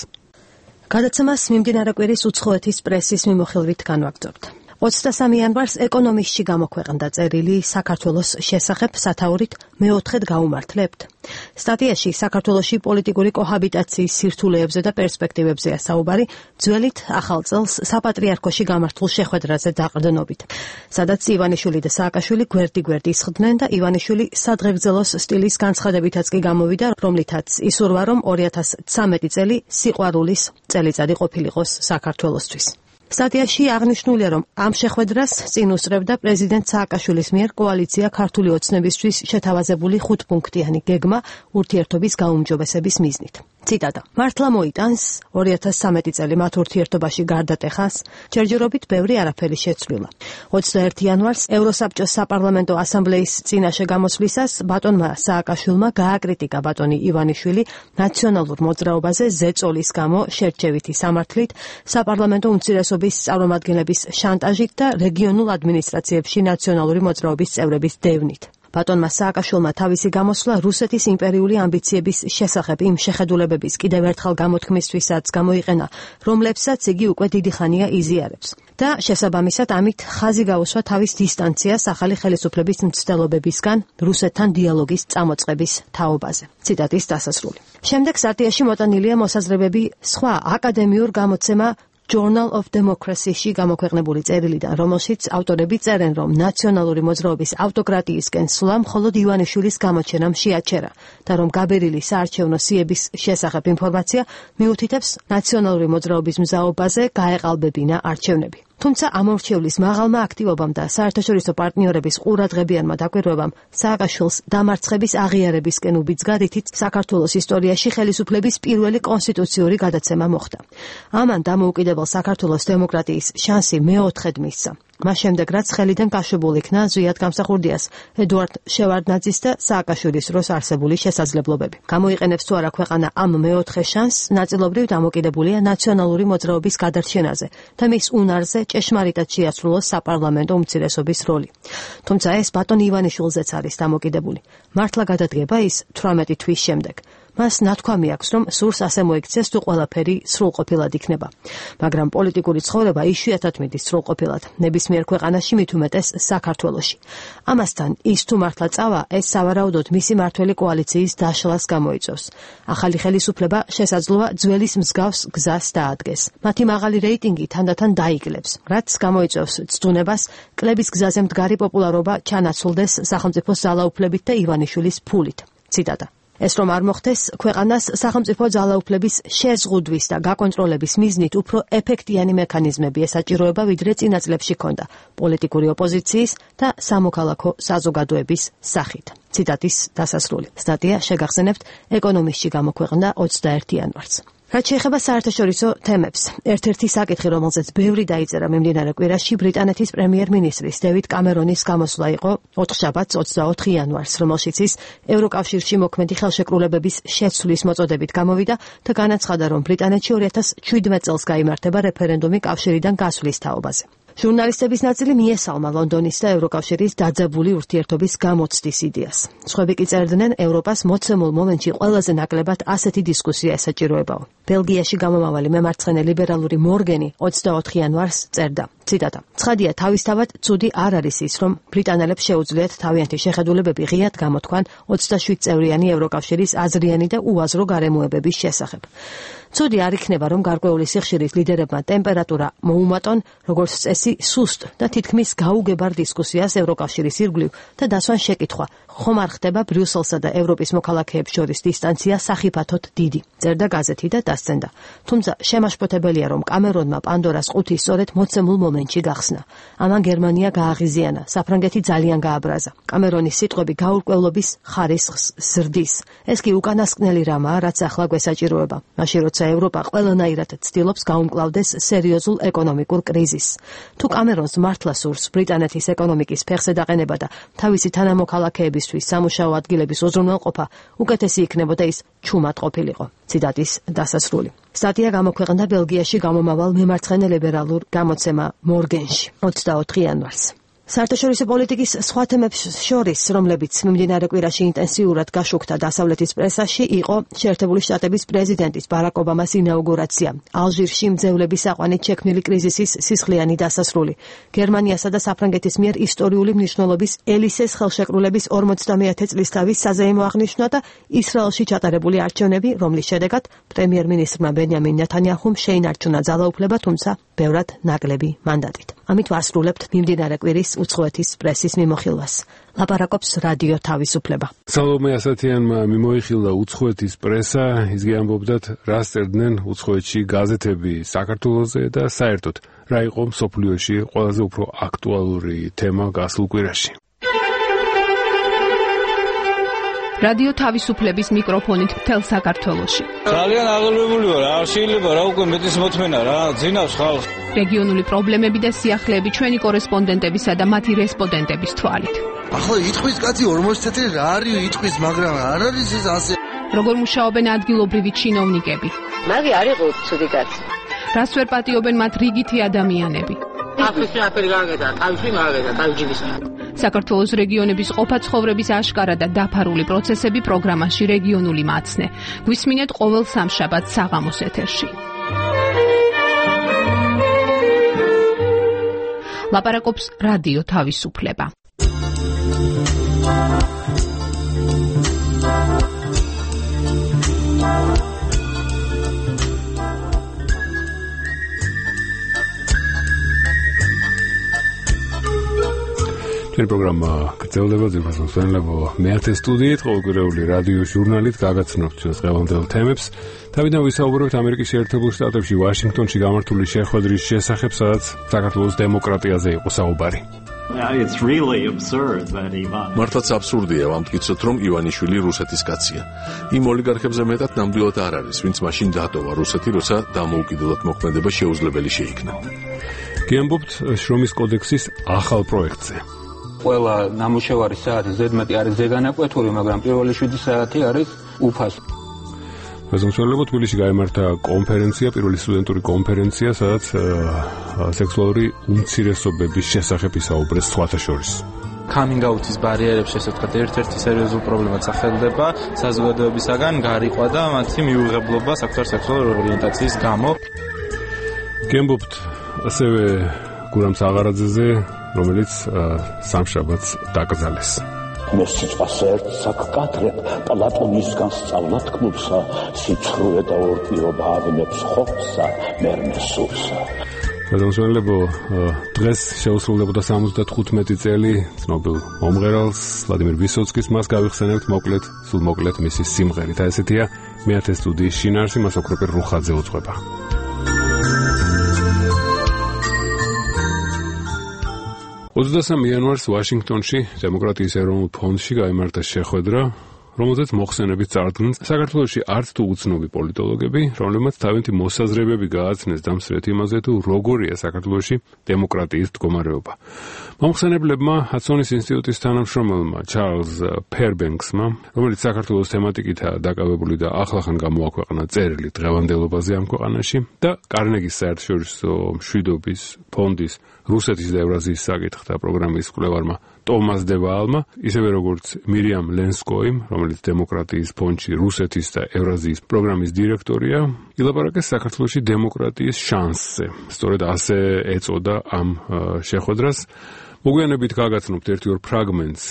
გადაცემას მიმდინარე კვირის უცხოეთის პრესის მიმოხილვით განვაგრძობთ. ოცდასამი იანვარს ეკონომისტში გამოქვეყნდა წერილი საქართველოს შესახებ სათაურით მეოთხედ გაუმართლებთ. სტატიაში საქართველოში პოლიტიკური კოჰაბიტაციის სირთულეებზე და პერსპექტივებზეა საუბარი, ძველით ახალ წელს საპატრიარქოში გამართულ შეხვედრაზე დაყრდნობით, სადაც ივანიშვილი და სააკაშვილი გვერდი-გვერდი ისხდნენ და ივანიშვილი სადღეგრძელოს სტილის განცხადებითაც კი გამოვიდა, რომლითაც ისურვა, რომ ორი ათას ცხრამეტი წელი სიყვარულის წელიწადი ყოფილიყოს საქართველოსთვის. სტატიაში აღნიშნულია, რომ ამ შეხვედრას წინ უსწრებდა პრეზიდენტ სააკაშვილის მიერ კოალიცია ქართული ოცნებისთვის შეთავაზებული ხუთპუნქტიანი გეგმა ურთიერთობის გაუმჯობესების მიზნით. ციტატა. მართლა მოიტანს ორი ათას ცხრამეტი წელი მათ ურთიერთობაში გარდატეხას, ჯერჯერობით ბევრი არაფერი შეცვლილა. ოცდაერთი იანვარს ევროსაბჭოს საპარლამენტო ასამბლეის წინაშე გამოსვლისას ბატონმა სააკაშვილმა გააკრიტიკა ბატონი ივანიშვილი ნაციონალურ მოძრაობაზე ზეწოლის გამო შერჩევითი სამართლით, საპარლამენტო უმცირესობის წარმომადგენლების შანტაჟით და რეგიონულ ადმინისტრაციებში ნაციონალური მოძრაობის წევრების დევნით. ბატონმა სააკაშვილმა თავისი გამოსვლა რუსეთის იმპერიული ამბიციების შესახებ იმ შეხედულებების კიდევ ერთხელ გამოთქმისთვისაც გამოიყენა, რომლებსაც იგი უკვე დიდი ხანია იზიარებს. და შესაბამისად ამით ხაზი გაუსვა თავის დისტანციას ახალი ხელისუფლების მცდელობებისგან რუსეთთან დიალოგის წამოწყების თაობაზე. ციტატის დასასრული. შემდეგ სტატიაში მოტანილია მოსაზრებები სხვა აკადემიურ გამოცემა Journal of Democracy-ში გამოქვეყნებული წერილიდან, რომელშიც ავტორები წერენ, რომ ნაციონალური მოძრაობის ავტოკრატიისკენ სვლა მხოლოდ ივანიშვილის გამოჩენამ შეაჩერა და რომ გაბერილი საარჩევნო სიების შესახებ ინფორმაცია მიუთითებს ნაციონალური მოძრაობის მზაობაზე გაეყალბებინა არჩევნები. თუმცა ამორჩევლის მაღალმა აქტივობამ და საერთაშორისო პარტნიორების ყურადღებიანმა დაკვირვებამ სააკაშვილს დამარცხების აღიარებისკენ უბიძგა, რითიც საქართველოს ისტორიაში ხელისუფლების პირველი კონსტიტუციური გადაცემა მოხდა. ამან დამოუკიდებელ საქართველოს დემოკრატიის შანსი მეოთხედ მისცა. მას შემდეგ, რაც ხელიდან გაშვებულ იქნა ზვიად გამსახურდიას, ედუარდ შევარდნაძის და სააკაშვილის დროს არსებული შესაძლებლობები. გამოიყენებს თუ არა ქვეყანა ამ მეოთხე შანსს, ნაწილობრივ დამოკიდებულია ნაციონალური მოძრაობის გადარჩენაზე და მის უნარზე ჭეშმარიტად შეასრულოს საპარლამენტო უმცირესობის როლი. თუმცა ეს ბატონ ივანიშვილზეც არის დამოკიდებული. მართლა გადადგება ის თვრამეტი თვის შემდეგ. მას ნათქვამი აქვს, რომ სურს ასე მოიქცეს, თუ ყველაფერი სრულყოფილად იქნება. მაგრამ პოლიტიკური ცხოვრება იშვიათად მიდის სრულყოფილად, ნებისმიერ ქვეყანაში, მით უმეტეს საქართველოში. ამასთან, ის თუ მართლა წავა, ეს სავარაუდოდ მისი მართველი კოალიციის დაშლას გამოიწვევს. ახალი ხელისუფლება შესაძლოა ძველის მსგავს გზას დაადგეს. მათი მაღალი რეიტინგი თანდათან დაიკლებს, რაც გამოიწვევს ცდუნებას კლების გზაზე მდგარი პოპულარობა ჩანაცვლდეს სახელმწიფოს ძალაუფლებით და ივანიშვილის ფულით. ციტატა. ეს რომ არ მოხდეს, ქვეყანას სახელმწიფო ძალაუფლების შეზღუდვის და გაკონტროლების მიზნით უფრო ეფექტიანი მექანიზმები ესაჭიროება, ვიდრე წინა წლებში ჰქონდა პოლიტიკური ოპოზიციის და სამოქალაქო საზოგადოების სახით. ციტატის დასასრული. სტატია შეგახსენებთ ეკონომისტში გამოქვეყნდა ოცდაერთი იანვარს. რაც შეეხება საერთაშორისო თემებს, ერთ-ერთი საკითხი, რომელზეც ბევრი დაიწერა მიმდინარე კვირაში, ბრიტანეთის პრემიერ-მინისტრის დევიდ კამერონის გამოსვლა იყო ოთხშაბათს ოცდაოთხი იანვარს, რომელშიც ის ევროკავშირში მოქმედი ხელშეკრულებების შეცვლის მოწოდებით გამოვიდა და განაცხადა, რომ ბრიტანეთში ორი ათას შვიდმეტ წელს გაიმართება რეფერენდუმი კავშირიდან გასვლის თაობაზე. ჟურნალისტების ნაწილი მიესალმა ლონდონის და ევროკავშირის დაძაბული ურთიერთობის გამოცდის იდეას. სხვები კი წერდნენ, ევროპას მოცემულ მომენტში ყველაზე ნაკლებად ასეთი დისკუსია ესაჭიროებაო. ბელგიაში გამომავალი მემარცხენე ლიბერალური მორგენი ოცდაოთხ იანვარს წერდა. ციტატა. ცხადია, თავისთავად ცუდი არ არის ის, რომ ბრიტანელებს შეუძლიათ თავიანთი შეხედულებები ღიად გამოთქვან ოცდაშვიდ წევრიანი ევროკავშირის აზრიანი და უაზრო გარემოებების შესახებ. ცუდი არ იქნება, რომ გარკვეული სიხშირის ლიდერებმა ტემპერატურა მოუმატონ, როგორც წესი, სუსტ და თითქმის გაუგებარ დისკუსიას ევროკავშირის ირგვლივ და დასვან შეკითხვა, ხომ არ ხდება ბრიუსელსა და ევროპის მოქალაქეებს შორის დისტანცია სახიფათოდ დიდი, წერდა გაზეთი და დასცენდა. თუმცა შემაშფოთებელია, რომ კამერონმა პანდორას ყუთი სწორედ მოცემულ მომენტში გახსნა. ამან გერმანია გააღიზიანა, საფრანგეთი ძალიან გააბრაზა. კამერონის სიტყვები გაურკვევლობის ხარისხს ზრდის. ეს კი უკანასკნელი რამაა, რაც ახლა გვესაჭიროება. მაშინ როცა ევროპა ყველანაირად ცდილობს გაუმკლავდეს სერიოზულ ეკონომიკურ კრიზისს. თუ კამერონს მართლა სურს ბრიტანეთის ეკონომიკის ფეხზე დაყენება და თავისი თანამოქალაქეებისთვის სამუშაო ადგილების უზრუნველყოფა, უკეთესი იქნებოდა ის ჩუმად ყოფილიყო. ციტატის დასასრული. სტატია გამოქვეყნდა ბელგიაში გამომავალ მემარცხენე ლიბერალურ გამოცემა მორგენში ოცდაოთხ იანვარს. საერთაშორისო პოლიტიკის სხვა თემებს შორის, რომლებიც მიმდინარე კვირაში ინტენსიურად გაშუქდა დასავლეთის პრესაში, იყო შეერთებული შტატების პრეზიდენტის ბარაკ ობამას ინაუგურაცია, ალჟირში მძევლების აყვანით შექმნილი კრიზისის სისხლიანი დასასრული, გერმანიასა და საფრანგეთის მიერ ისტორიული მნიშვნელობის ელისეს ხელშეკრულების ორმოცდამეათე წლისთავის საზეიმო აღნიშვნა და ისრაელში ჩატარებული არჩევნები, რომლის შედეგად პრემიერ-მინისტრმა ბენიამინ ნეთანიაჰუმ შეინარჩუნა ძალაუფლება, თუმცა ბევრად ნაკლები მანდატით. ამით ვასრულებთ მიმდინარე კვირის უცხოეთის პრესის მიმოხილვას. ლაპარაკობს რადიო თავისუფლება. სალომე ასათიანმა მიმოიხილდა უცხოეთის პრესა, ისგე ამბობდათ, რას წერდნენ უცხოეთში გაზეთები საქართველოზე და საერთოდ რა იყო მსოფლიოში ყველაზე უფრო აქტუალური თემა გასულ კვირაში. რადიო თავისუფლების მიკროფონით მთელ საქართველოში. ძალიან აღელვებული ვარ, არ შეიძლება რა უკვე მეტის მოთმენა რა, ძინავს ხალხს. რეგიონული პრობლემები და სიახლეები ჩვენი კორესპონდენტებისა და მათი რესპონდენტების თვალით. ახლა იტყვის კაცი ორმოცი წელი რა არის იტყვის, მაგრამ არ არის ეს ასე. როგორ მუშაობენ ადგილობრივი ჩინოვნიკები? მაგი არ იყო ცუდი კაცი. რას ვერ პატიობენ მათ რიგითი ადამიანები? ახლა აფერი გაგედა, თავში მაგედა, თავჯიბის. საქართველოს რეგიონების ყოფა-ცხოვრების აშკარა და დაფარული პროცესები პროგრამაში რეგიონული მაცნე. გვისმინეთ ყოველ სამშაბათს საღამოს ეთერში. ლაპარაკობს რადიო თავისუფლება. ჩვენი პროგრამა გრძელდება ძირფასო მსმენელებო მეათე სტუდიით ყოველკვირეული რადიო ჟურნალით გაგაცნობთ ჩვენს დღევანდელ თემებს. თავიდან ვისაუბრებთ ამერიკის შეერთებულ შტატებში ვაშინგტონში გამართული შეხვედრის შესახებ, სადაც საქართველოს დემოკრატიაზე იყო საუბარი. It's really absurd that Ivan მართლაც აბსურდია ვამტკიცოთ, რომ ივანიშვილი რუსეთის კაცია. იმ ოლიგარქებზე მეტად ნამდვილად არ არის, ვინც მაშინ დატოვა რუსეთი, როცა დამოუკიდებლად მოქმედება შეუძლებელი შეიქნა. გიამბობთ შრომის კოდექსის ახალ პროექტზე. ყველა ნამუშევარი საათი ზედმეტი არის ზეგანაკვეთური, მაგრამ პირველი შვიდი საათი არის უფასო. მეზონშორლებო თბილისში გაიმართა კონფერენცია, პირველი სტუდენტური კონფერენცია, სადაც სექსუალური უმცირესობების შესახებ ისაუბრეს სხვათა შორის. Coming out-ის ბარიერებში, ესე ვთქვათ, ერთ-ერთი სერიოზული პრობლემაც სახელდება საზოგადოებისაგან გარიყვა და მათი მიუღებლობა საკუთარ სექსუალური ორიენტაციის გამო. გემბობთ ასევე გურამ საღარაძეზე, რომელიც სამშაბათს დაკრძალეს. მე სიტყვას ერთს აკკათრებ პლატონისგან სწავლა თქმულსა, სიცრუე და ორპირობა ავინებს ხორცსა, მერმე სულსა. მეზონშორლებო დღეს შეუსრულდებოდა სამოცდათხუთმეტი წელი ცნობილ მომღერალს ვლადიმერ ვისოცკის, მას გავიხსენებთ მოკლედ, სულ მოკლედ მისი სიმღერით. და ესეთია მეათე სტუდიის შინაარსი, მას ოქროპირ რუხაძე უძღვება. ოცდასამი იანვარს ვაშინგტონში დემოკრატიის ეროვნულ ფონდში გაიმართა შეხვედრა, რომელზეც მოხსენებით წარდგნენ საქართველოში არც თუ უცნობი პოლიტოლოგები, რომლებმაც თავიანთი მოსაზრებები გააცნეს დამსწრეთ იმაზე, თუ როგორია საქართველოში დემოკრატიის მდგომარეობა. მომხსენებლებმა ჰადსონის ინსტიტუტის თანამშრომელმა ჩარლზ ფერბენქსმა, რომელიც საქართველოს თემატიკითაა დაკავებული და ახლახან გამოაქვეყნა წერილი დღევანდელობაზე ამ ქვეყანაში და კარნეგის საერთაშორისო მშვიდობის ფონდის რუსეთის და ევრაზიის საკითხთა პროგრამის კვლევარმა ტომას დევაალმა, ისევე როგორც მირიამ ლენსკოიმ, რომელიც დემოკრატიის ფონდში რუსეთის და ევრაზიის პროგრამის დირექტორია, ილაპარაკეს საქართველოში დემოკრატიის შანსზე. სწორედ ასე ეწოდა ამ შეხვედრას. მოგვიანებით გაგაცნობთ ერთი-ორ ფრაგმენტს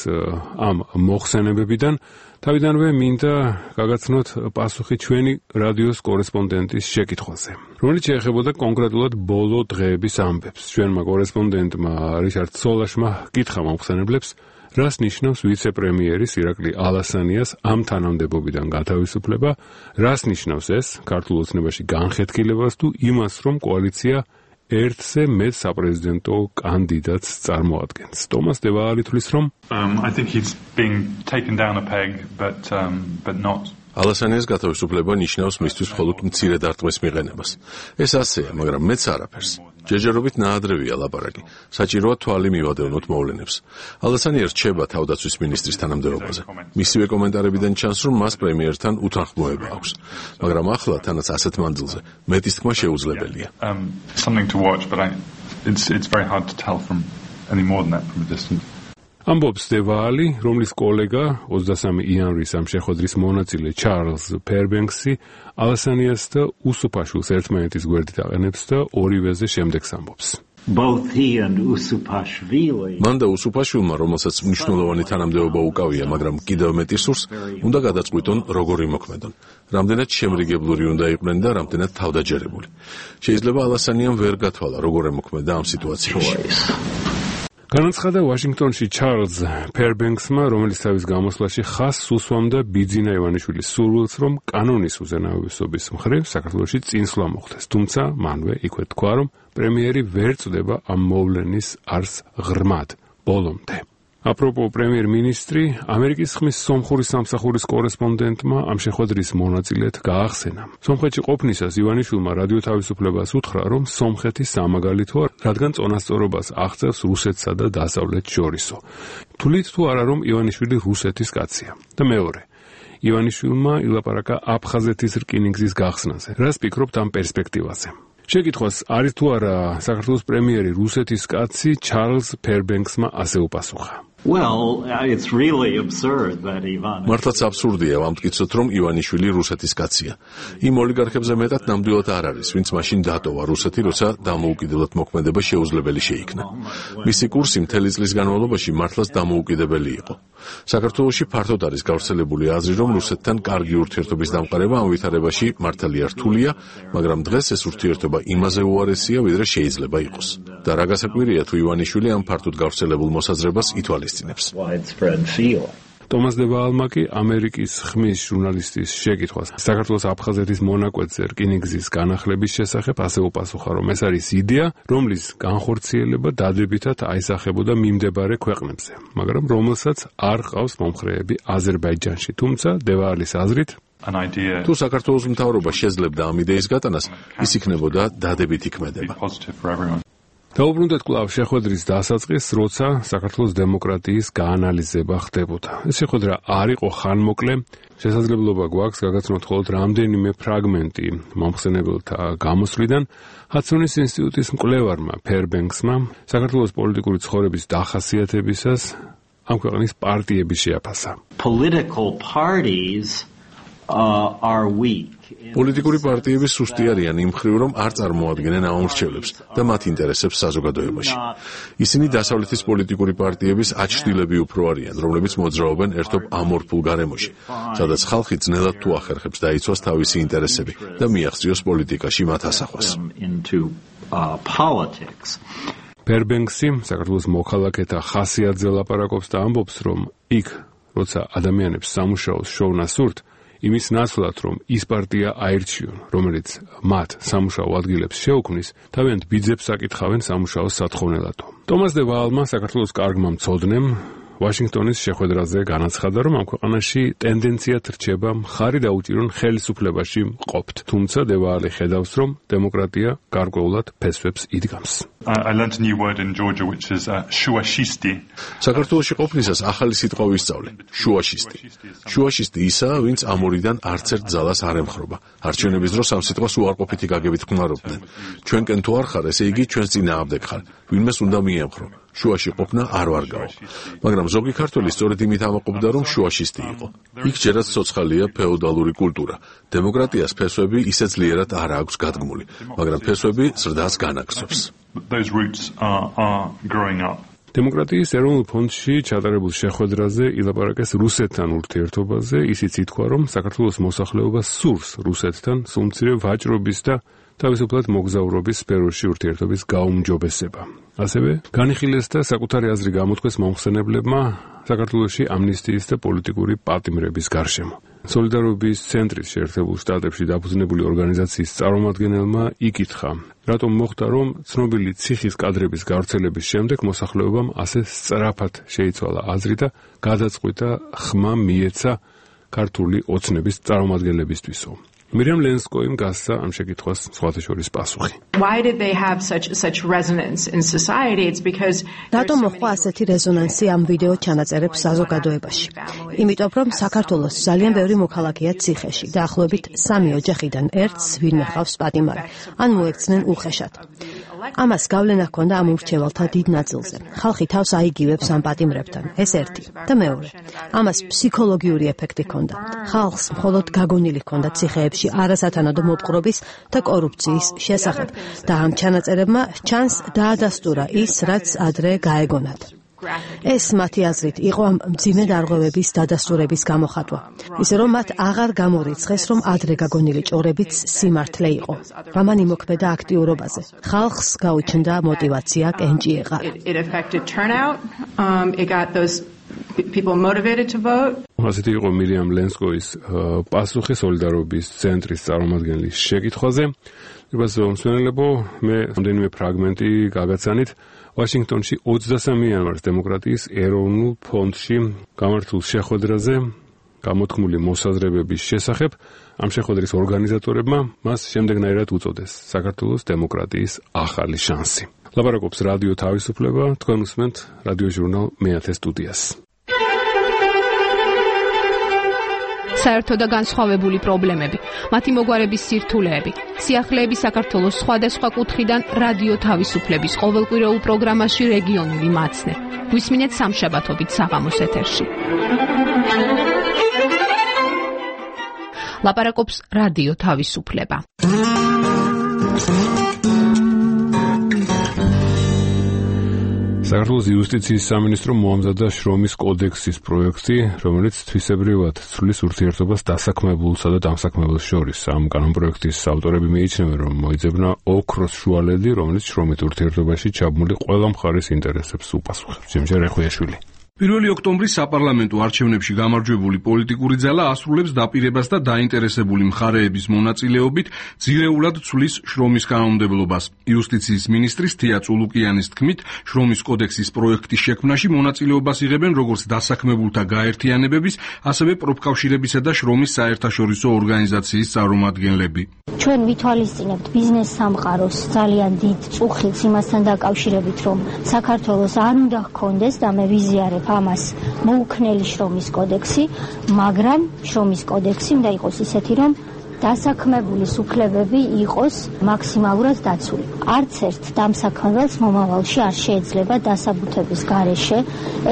ამ მოხსენებებიდან. თავიდანვე მინდა გაგაცნოთ პასუხი ჩვენი რადიოს კორესპონდენტის შეკითხვაზე, რომელიც შეეხებოდა კონკრეტულად ბოლო დღეების ამბებს. ჩვენმა კორესპონდენტმა რიჩარდ სოლაშმა კითხა მომხსენებლებს, რას ნიშნავს ვიცე-პრემიერის ირაკლი ალასანიას ამ თანამდებობიდან გათავისუფლება, რას ნიშნავს ეს ქართულ ოცნებაში განხეთქილებას თუ იმას, რომ კოალიცია ერთზე მეტ საპრეზიდენტო კანდიდატს წარმოადგენს. ტომას დევაალი თვლის, რომ Um, I think he's being taken down a peg, but um, but not. ალასანიას გათავისუფლება ნიშნავს მისთვის მხოლოდ მცირე დარტყმის მიღენებას. ეს ასეა, მაგრამ მეც არაფერს. ჯერჯერობით ნაადრევია ლაპარაკი. საჭიროა თვალი მივადევნოთ მოვლენებს. ალასანია რჩება თავდაცვის მინისტრის თანამდებობაზე. მისივე კომენტარებიდან ჩანს, რომ მას პრემიერთან უთანხმოება აქვს. მაგრამ ახლა თანაც ასეთ მანძილზე მეტის თქმა შეუძლებელია. Um, something to watch, but I, it's it's very hard to tell from any more than that from a distance. ამბობს დევაალი, რომლის კოლეგა ოცდასამი იანვრის ამ შეხვედრის მონაწილე ჩარლზ ფერბენქსი ალასანიას და უსუფაშვილს ერთმანეთის გვერდით აყენებს და ორივეზე შემდეგს ამბობს. Both he and Usupashvili. მან და უსუფაშვილმა, რომელსაც მნიშვნელოვანი თანამდებობა უკავია, მაგრამ კიდევ მეტი სურს, უნდა გადაწყვიტონ როგორი მოქმედონ. რამდენად შემრიგებლური უნდა იყვნენ და რამდენად თავდაჯერებული. შეიძლება ალასანიამ ვერ გათვალა როგორ ემოქმედა ამ სიტუაციაში. განაცხადა ვაშინგტონში ჩარლზ ფერბენქსმა, რომელიც თავის გამოსვლაში ხაზს უსვამდა ბიძინა ივანიშვილის სურვილს, რომ კანონის უზენაესობის მხრივ საქართველოში წინსვლა მოხდეს. თუმცა მანვე იქვე თქვა, რომ პრემიერი ვერ წდება ამ მოვლენის არს ღრმად ბოლომდე. აპროპო პრემიერ-მინისტრი, ამერიკის ხმის სომხური სამსახურის კორესპონდენტმა ამ შეხვედრის მონაწილედ გაახსენა. სომხეთში ყოფნისას ივანიშვილმა რადიო თავისუფლებას უთხრა, რომ სომხეთი სამაგალითოა, რადგან წონასწორობას აღწევს რუსეთსა და დასავლეთს შორისო. თვლით თუ არა, რომ ივანიშვილი რუსეთის კაცია. და მეორე, ივანიშვილმა ილაპარაკა აფხაზეთის რკინიგზის გახსნაზე. რას ფიქრობთ ამ პერსპექტივაზე? შეკითხვას არის თუ არა საქართველოს პრემიერი რუსეთის კაცი, ჩარლზ ფერბენქსმა ასე უპასუხა. Well, it's really absurd that Ivan. მართლაც აბსურდია ვამტკიცოთ, რომ ივანიშვილი რუსეთის კაცია. იმ ოლიგარქებზე მეტად ნამდვილად არ არის, ვინც მაშინ დატოვა რუსეთი, როცა დამოუკიდებლად მოქმედება შეუძლებელი შეიქნა. მისი კურსი მთელი წლის განმავლობაში მართლაც დამოუკიდებელი იყო. საქართველოში ფართოდ არის გავრცელებული აზრი, რომ რუსეთთან კარგი ურთიერთობის დამყარება ამ ვითარებაში მართალია რთულია, მაგრამ დღეს ეს ურთიერთობა იმაზე უარესია, ვიდრე შეიძლება იყოს. და რა გასაკვირია თუ ივანიშვილი ამ ფართოდ გავრცელებულ მოსაზრებას ითვალისწინებს. ტომას დე-ვალმა კი ამერიკის ხმის ჟურნალისტის შეკითხვას საქართველოს აფხაზეთის მონაკვეთზე რკინიგზის განახლების შესახებ ასე უპასუხა, რომ ეს არის იდეა, რომლის განხორციელება დადებითად აისახებოდა მიმდებარე ქვეყნებზე, მაგრამ რომელსაც არ ყავს მომხრეები აზერბაიჯანში. თუმცა დე-ვალის აზრით, თუ საქართველოს მთავრობა შეძლებდა ამ იდეის გატანას, ის იქნებოდა დადებითი ქმედება. დაუბრუნდეთ კვლავ შეხვედრის დასაწყისს, როცა საქართველოს დემოკრატიის გაანალიზება ხდებოდა. ეს შეხვედრა არ იყო ხანმოკლე, შესაძლებლობა გვაქვს გაგაცნოთ მხოლოდ რამდენიმე ფრაგმენტი მომხსენებელთა გამოსვლიდან. ჰადსონის ინსტიტუტის მკვლევარმა ფერბენქსმა საქართველოს პოლიტიკური ცხოვრების დახასიათებისას ამ ქვეყნის პარტიების შეაფასა. Political parties uh, are weak. პოლიტიკური პარტიები სუსტი არიან იმ მხრივ, რომ არ წარმოადგენენ ამომრჩევლებს და მათ ინტერესებს საზოგადოებაში. ისინი დასავლეთის პოლიტიკური პარტიების აჩრდილები უფრო არიან, რომლებიც მოძრაობენ ერთობ ამორფულ გარემოში, სადაც ხალხი ძნელად თუ ახერხებს დაიცვას თავისი ინტერესები და მიაღწიოს პოლიტიკაში მათ ასახვას. ფერბენქსი საქართველოს მოქალაქეთა ხასიათზე ლაპარაკობს და ამბობს, რომ იქ, როცა ადამიანებს სამუშაოს შოვნა სურთ, იმის ნაცვლად, რომ ის პარტია აირჩიონ, რომელიც მათ სამუშაო ადგილებს შეუქმნის, თავიანთ ბიძებს აკითხავენ სამუშაოს სათხოვნელად. ტომას დე-ვალმა, საქართველოს კარგმა მცოდნემ, ვაშინგტონის შეხვედრაზე განაცხადა, რომ ამ ქვეყანაში ტენდენციად რჩება მხარი დაუჭირონ ხელისუფლებაში მყოფთ. თუმცა დე-ვალი ხედავს, რომ დემოკრატია გარკვეულად ფესვებს იდგამს. I learned a new word in Georgia which is uh, შუაშისტი. საქართველოში ყოფნისას ახალი სიტყვა ვისწავლე. შუაშისტი. შუაშისტი ისაა, ვინც ამორიდან არც ერთ ძალას არ ემხრობა. არჩევნების დროს ამ სიტყვას უარყოფითი გაგებით ხმარობდნენ. ჩვენკენ თუ არ ხარ, ესე იგი ჩვენს წინააღმდეგ ხარ. ვინმეს უნდა მიემხრო. შუაში ყოფნა არ ვარგაო. მაგრამ ზოგი ქართველი სწორედ იმით ამაყობდა, რომ შუაშისტი იყო. იქ ჯერაც ცოცხალია ფეოდალური კულტურა. დემოკრატიას ფესვები ისე ძლიერად არ აქვს გადგმული, მაგრამ ფესვები ზრდას განაგრძობს. Those roots are, are growing up. დემოკრატიის ეროვნულ ფონდში ჩატარებულ შეხვედრაზე ილაპარაკეს რუსეთთან ურთიერთობაზე, ისიც ითქვა, რომ საქართველოს მოსახლეობა სურს რუსეთთან სულმცირე ვაჭრობის და თავისუფლად მოგზაურობის სფეროში ურთიერთობის გაუმჯობესება. ასევე განიხილეს და საკუთარი აზრი გამოთქვეს მომხსენებლებმა საქართველოში ამნისტიის და პოლიტიკური პატიმრების გარშემო. სოლიდარობის ცენტრის შეერთებულ შტატებში დაფუძნებული ორგანიზაციის წარმომადგენელმა იკითხა, რატომ მოხდა, რომ ცნობილი ციხის კადრების გავრცელების შემდეგ მოსახლეობამ ასე სწრაფად შეიცვალა აზრი და გადაწყვიტა ხმა მიეცა ქართული ოცნების წარმომადგენლებისთვისო. მირიამ ლენსკოიმ გასცა ამ შეკითხვას სხვათა შორის პასუხი. Why did they have such such resonance in society? It's because რატომ მოხდა ასეთი რეზონანსი ამ ვიდეო ჩანაწერებს საზოგადოებაში? იმიტომ რომ საქართველოს ძალიან ბევრი მოქალაქეა ციხეში, დაახლოებით სამი ოჯახიდან ერთს ვინმე ხავს პატიმარი, ან მოექცნენ უხეშად. ამას გავლენა ჰქონდა ამ ურჩევალთა დიდ ნაწილზე. ხალხი თავს აიგივებს ამ პატიმრებთან, ეს ერთი. და მეორე, ამას ფსიქოლოგიური ეფექტი ჰქონდა. ხალხს მხოლოდ გაგონილი ჰქონდა ციხეებში არასათანადო მოპყრობის და კორუფციის შესახებ და ამ ჩანაწერებმა ჩანს დაადასტურა ის, რაც ადრე გაეგონათ. ეს მათი აზრით იყო ამ მძიმე დარღვევების დადასტურების გამოხატვა. ისე რომ მათ აღარ გამორიცხეს, რომ ადრე გაგონილი ჭორებიც სიმართლე იყო. ამან იმოქმედა აქტიურობაზე. ხალხს გაუჩნდა მოტივაცია კენჭი ეყარა. It affected turnout. Um, it got those people motivated to vote. ასეთი იყო მირიამ ლენსკოის პასუხი სოლიდარობის ცენტრის წარმომადგენლის შეკითხვაზე. ებასო მსმენელებო, მე რამდენიმე ფრაგმენტი გაგაცანით. ვაშინგტონში ოცდასამი იანვარს დემოკრატიის ეროვნულ ფონდში გამართულ შეხვედრაზე გამოთქმული მოსაზრებების შესახებ ამ შეხვედრის ორგანიზატორებმა მას შემდეგნაირად უწოდეს საქართველოს დემოკრატიის ახალი შანსი. ლაპარაკობს რადიო თავისუფლება, თქვენ უსმენთ რადიო ჟურნალ მეათე სტუდიას. საერთო და განსხვავებული პრობლემები, მათი მოგვარების სირთულეები, სიახლეები საქართველოს სხვადასხვა კუთხიდან რადიო თავისუფლების ყოველკვირეულ პროგრამაში რეგიონული მაცნე. გვისმინეთ სამშაბათობით საღამოს ეთერში. ლაპარაკობს რადიო თავისუფლება. საქართველოს იუსტიციის სამინისტრო მოამზადა შრომის კოდექსის პროექტი, რომელიც თვისებრივად ცვლის ურთიერთობას დასაქმებულსა და დამსაქმებელს შორის. ამ კანონპროექტის ავტორები მიიჩნევენ, რომ მოიძებნა ოქროს შუალედი, რომელიც შრომით ურთიერთობაში ჩაბმული ყველა მხარის ინტერესებს უპასუხებს. ჯემშერ ეხვიაშვილი. პირველი ოქტომბრის საპარლამენტო არჩევნებში გამარჯვებული პოლიტიკური ძალა ასრულებს დაპირებას და დაინტერესებული მხარეების მონაწილეობით ძირეულად ცვლის შრომის კანონმდებლობას. იუსტიციის მინისტრის თია წულუკიანის თქმით, შრომის კოდექსის პროექტის შექმნაში მონაწილეობას იღებენ როგორც დასაქმებულთა გაერთიანებების, ასევე პროფკავშირებისა და შრომის საერთაშორისო ორგანიზაციის წარმომადგენლები. ჩვენ ვითვალისწინებთ ბიზნეს სამყაროს ძალიან დიდ წუხილს იმასთან დაკავშირებით, რომ საქართველოს არ უნდა ჰქონდეს და მე ვიზიარებ ამას მოუქნელი შრომის კოდექსი, მაგრამ შრომის კოდექსი უნდა იყოს ისეთი, რომ დასაქმებულის უფლებები იყოს მაქსიმალურად დაცული. არც ერთ დამსაქმებელს მომავალში არ შეიძლება დასაბუთების გარეშე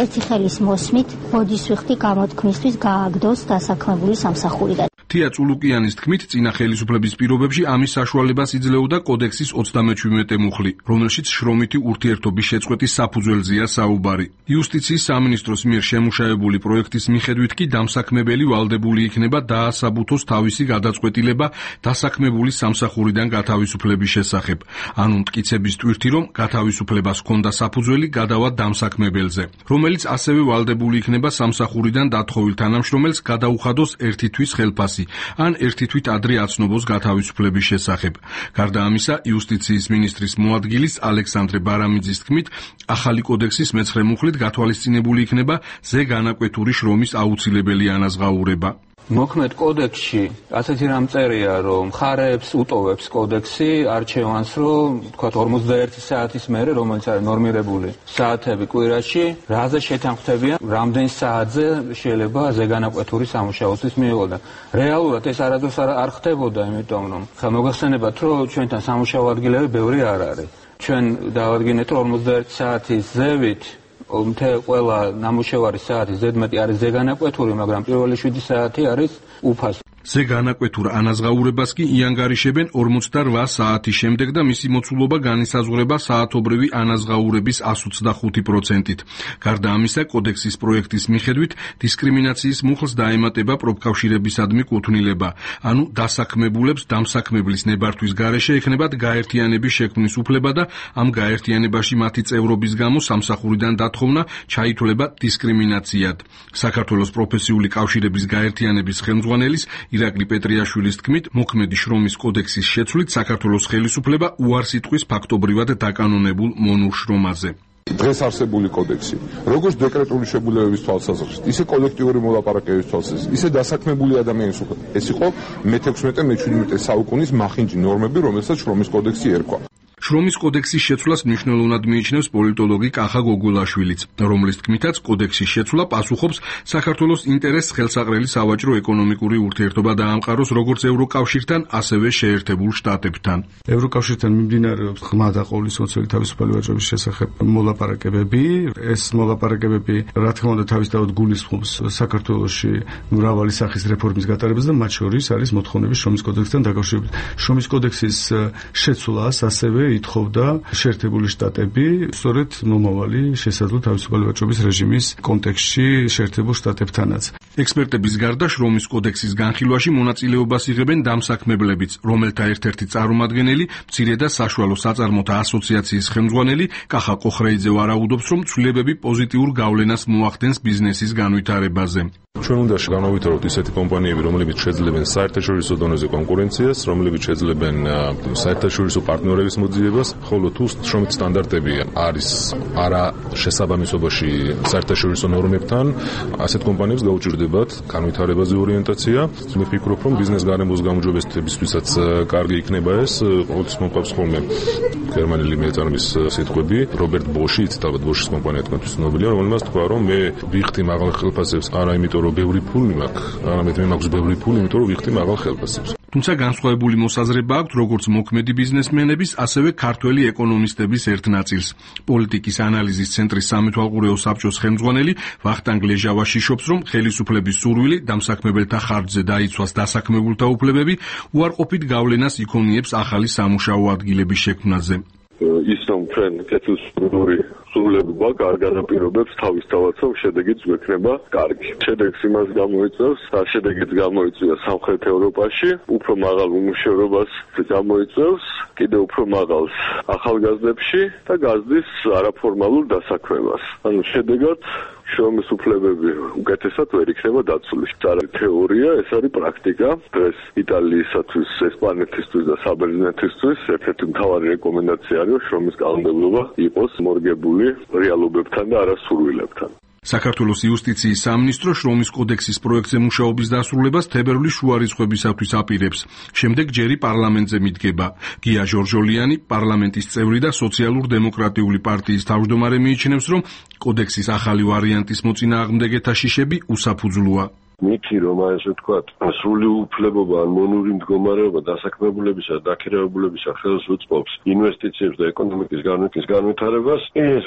ერთი ხელის მოსმით ბოდისვიხთი გამოთქმისთვის გააგდოს დასაქმებული სამსახურიდან. თია წულუკიანის თქმით, წინა ხელისუფლების პირობებში ამის საშუალებას იძლეოდა კოდექსის ოცდამეჩვიდმეტე მუხლი, რომელშიც შრომითი ურთიერთობის შეწყვეტის საფუძველზეა საუბარი. იუსტიციის სამინისტროს მიერ შემუშავებული პროექტის მიხედვით კი დამსაქმებელი ვალდებული იქნება დაასაბუთოს თავისი გადაწყვეტილება დასაქმებულის სამსახურიდან გათავისუფლების შესახებ. ანუ მტკიცების ტვირთი, რომ გათავისუფლებას ჰქონდა საფუძველი გადავა დამსაქმებელზე, რომელიც ასევე ვალდებული იქნება სამსახურიდან დათხოვილ თანამშრომელს გადაუხადოს ერთი თვის ხელფასი ან ერთი თვით ადრე აცნობოს გათავისუფლების შესახებ. გარდა ამისა, იუსტიციის მინისტრის მოადგილის ალექსანდრე ბარამიძის თქმით, ახალი კოდექსის მეცხრე მუხლით გათვალისწინებული იქნება ზეგანაკვეთური შრომის აუცილებელი ანაზღაურება. მოქმედ კოდექსში ასეთი რამ წერია, რომ მხარეებს უტოვებს კოდექსი არჩევანს, რომ თქვათ ორმოცდაერთი საათის მერე, რომელიც არის ნორმირებული საათები კვირაში, რაზე შეთანხმდებიან, რამდენ საათზე შეიძლება ზეგანაკვეთური სამუშაოსთვის მიიღო. რეალურად ეს არადროს არ ხდებოდა, იმიტომ რომ მოგახსენებათ, რომ ჩვენთან სამუშაო ადგილები ბევრი არ არის. ჩვენ დავადგინეთ, რომ ორმოცდაერთი საათის ზევით მთელ ყველა ნამუშევარის საათი ზედმეტი არის ზეგანაკვეთური, მაგრამ პირველი შვიდი საათი არის უფასო. ზეგანაკვეთურ ანაზღაურებას კი იანგარიშებენ ორმოცდარვა საათის შემდეგ და მისი მოცულობა განისაზღვრება საათობრივი ანაზღაურების εκατი ოცდახუთი პროცენტით. გარდა ამისა, კოდექსის პროექტის მიხედვით დისკრიმინაციის მუხლს დაემატება პროფკავშირებისადმი კუთვნილება, ანუ დასაქმებულებს დამსაქმებლის ნებართვის გარეშე ექნებათ გაერთიანების შექმნის უფლება და ამ გაერთიანებაში მათი წევრობის გამო სამსახურიდან დათხოვნა ჩაითვლება დისკრიმინაციად. საქართველოს პროფესიული კავშირების გაერთიანების ხელმძღვანელის ირაკლი პეტრიაშვილის თქმით, მოქმედი შრომის კოდექსის შეცვლით საქართველოს ხელისუფლება უარს იტყვის ფაქტობრივად დაკანონებულ მონურ შრომაზე. დღეს არსებული კოდექსი, როგორც დეკრეტული შეგულებების თვალსაზრისით, ისე კოლექტიური მოლაპარაკებების თვალსაზრისით, ისე დასაქმებული ადამიანის უკვე. ეს იყო მეთექვსმეტე მეჩვიდმეტე საუკუნის მახინჯი ნორმები, რომელსაც შრომის კოდექსი ერქვა. შრომის კოდექსის შეცვლას მნიშვნელოვნად მიიჩნევს პოლიტოლოგი კახა გოგულაშვილიც, რომლის თქმითაც კოდექსის შეცვლა პასუხობს საქართველოს ინტერესს ხელსაყრელი სავაჭრო ეკონომიკური ურთიერთობა დაამყაროს როგორც ევროკავშირთან, ასევე შეერთებულ შტატებთან. ევროკავშირთან მიმდინარეობს ღრმა და ყოვლისმოცველი თავისუფალი ვაჭრობის შესახებ მოლაპარაკებები. ეს მოლაპარაკებები, რა თქმა უნდა, თავისთავად გულისხმობს საქართველოში მრავალი სახის რეფორმის გატარებას და მათ შორის არის მოთხოვნები შრომის კოდექსთან დაკავშირებით. შრომის კოდექსის შეცვლას ასევე ითხოვდა შეერთებული შტატები, სწორედ მომავალი შესაძლო თავისუფალი ვაჭრობის რეჟიმის კონტექსტში შეერთებულ შტატებთანაც. ექსპერტების გარდა შრომის კოდექსის განხილვაში მონაწილეობას იღებენ დამსაქმებლებიც, რომელთა ერთ-ერთი წარმომადგენელი, მცირე და საშუალო საწარმოთა ასოციაციის ხელმძღვანელი კახა კოხრეიძე ვარაუდობს, რომ ცვლილებები პოზიტიურ გავლენას მოახდენს ბიზნესის განვითარებაზე. ჩვენ უნდა განავითაროთ ისეთი კომპანიები, რომლებიც შეძლებენ საერთაშორისო დონეზე კონკურენციას, რომლებიც შეძლებენ საერთაშორისო პარტნიორების მოძიებას, ხოლო თუ შრომით სტანდარტები არის არა შესაბამისობაში საერთაშორისო ნორმებთან, ასეთ კომპანიებს გაუჭირდებათ განვითარებაზე ორიენტაცია. მე ვფიქრობ, რომ ბიზნეს გარემოს გამარჯვებისთვისაც კარგი იქნება ეს. ყოველთვის მომყავს ხოლმე გერმანელი მეწარმის სიტყვები, რობერტ ბოში, იცით ალბათ ბოშის კომპანია თქვენთვის ცნობილია, რომელმაც თქვა, რომ მე ვიხდი მაღალ ხელფასებს არა იმიტომ, რომ ბევრი ფული მაქვს, არამედ მე მაქვს ბევრი ფული, იმიტომ რომ ვიხდი მაღალ ხელფასებს. თუმცა განსხვავებული მოსაზრება აქვს როგორც მოქმედი ბიზნესმენების, ასევე ქართველი ეკონომისტების ერთ ნაწილს. პოლიტიკის ანალიზის ცენტრის სამეთვალყურეო საბჭოს ხელმძღვანელი ვახტანგ ლეჟავა შიშობს, რომ ხელისუფლების სურვილი დამსაქმებელთა ხარჯზე დაიცვას დასაქმებულთა უფლებები, უარყოფით გავლენას იქონიებს ახალი სამუშაო ადგილების შექმნაზე. ის რომ ჩვენ კეთილსურვილი სრულებობა კარგ განაპირობებს თავისთავად, რომ შედეგიც გვექნება კარგი. შედეგს იმას გამოიწვევს, რა შედეგიც გამოიწვია სამხრეთ ევროპაში, უფრო მაღალ უმუშევრობას გამოიწვევს, კიდევ უფრო მაღალს ახალგაზრდებში და გაზრდის არაფორმალურ დასაქმებას. ანუ შედეგად შრომის უფლებები უკეთესად ვერ იქნება დაცული. ეს არის თეორია, ეს არის პრაქტიკა. დღეს იტალიისათვის, ესპანეთისთვის და საბერძნეთისთვის ერთ-ერთი მთავარი რეკომენდაცია არის, რომ შრომის კანონმდებლობა იყოს მორგებული რეალობებთან და არა სურვილებთან. საქართველოს იუსტიციის სამინისტრო შრომის კოდექსის პროექტზე მუშაობის დასრულებას თებერვლის შუა რიცხვებისათვის აპირებს. შემდეგ ჯერი პარლამენტზე მიდგება. გია ჟორჟოლიანი, პარლამენტის წევრი და სოციალურ-დემოკრატიული პარტიის თავმჯდომარე მიიჩნევს, რომ კოდექსის ახალი ვარიანტის მოწინააღმდეგეთა შიშები უსაფუძვლოა. მითი რომ ასე ვთქვათ, სრული უფლებობა ან მონური მდგომარეობა დასაქმებულებისა და დაქირავებულებისა ხელს უწყობს ინვესტიციებს და ეკონომიკის განვითარების განვითარებას, ეს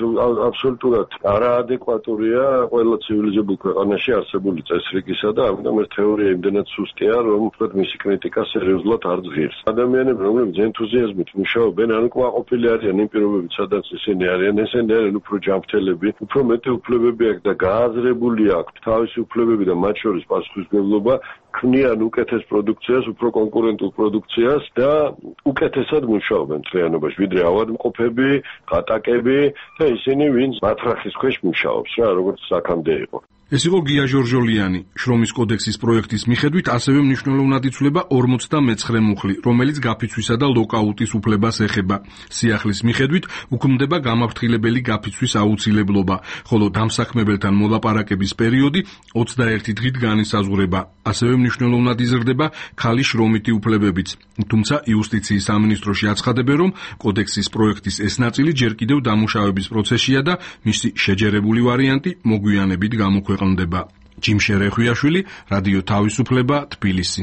აბსოლუტურად არაადეკვატურია ყველა ცივილიზებულ ქვეყანაში არსებული წესრიგისა და ამიტომ ეს თეორია იმდენად სუსტია, რომ ვთქვათ მისი კრიტიკა სერიოზულად არ ძღირს. ადამიანები, რომლებიც ენთუზიაზმით მუშაობენ, ან კმაყოფილი არიან იმ პირობებით, სადაც ისინი არიან, ესენი არიან უფრო ჯანმრთელები, უფრო მეტი უფლებები აქვს და გააზრებული აქვთ თავისი უფლებები და მათ შორის პასუხისმგებლობა, ქმნიან უკეთეს პროდუქციას, უფრო კონკურენტულ პროდუქციას და უკეთესად მუშაობენ მთლიანობაში, ვიდრე ავადმყოფები, ხატაკები და ისინი, ვინც მათრახის ქვეშ მუშაობს, რა, როგორც აქამდე იყო. ეს იყო გია ჟორჟოლიანი. შრომის კოდექსის პროექტის მიხედვით ასევე მნიშვნელოვნად იცვლება ორმოცდამეცხრე მუხლი, რომელიც გაფიცვისა და ლოკაუტის უფლებას ეხება. სიახლის მიხედვით უქმდება გამაფრთხილებელი გაფიცვის აუცილებლობა, ხოლო დამსაქმებელთან მოლაპარაკების პერიოდი ოცდაერთი დღით განისაზღვრება. ასევე მნიშვნელოვნად იზრდება ქალის შრომითი უფლებებიც. თუმცა იუსტიციის სამინისტროში აცხადებენ, რომ კოდექსის პროექტის ეს ნაწილი ჯერ კიდევ დამუშავების პროცესშია და მისი შეჯერებული ვარიანტი მოგვიანებით გამოქვეყნდება. ჯიმ შერეხვიაშვილი, რადიო თავისუფლება, თბილისი.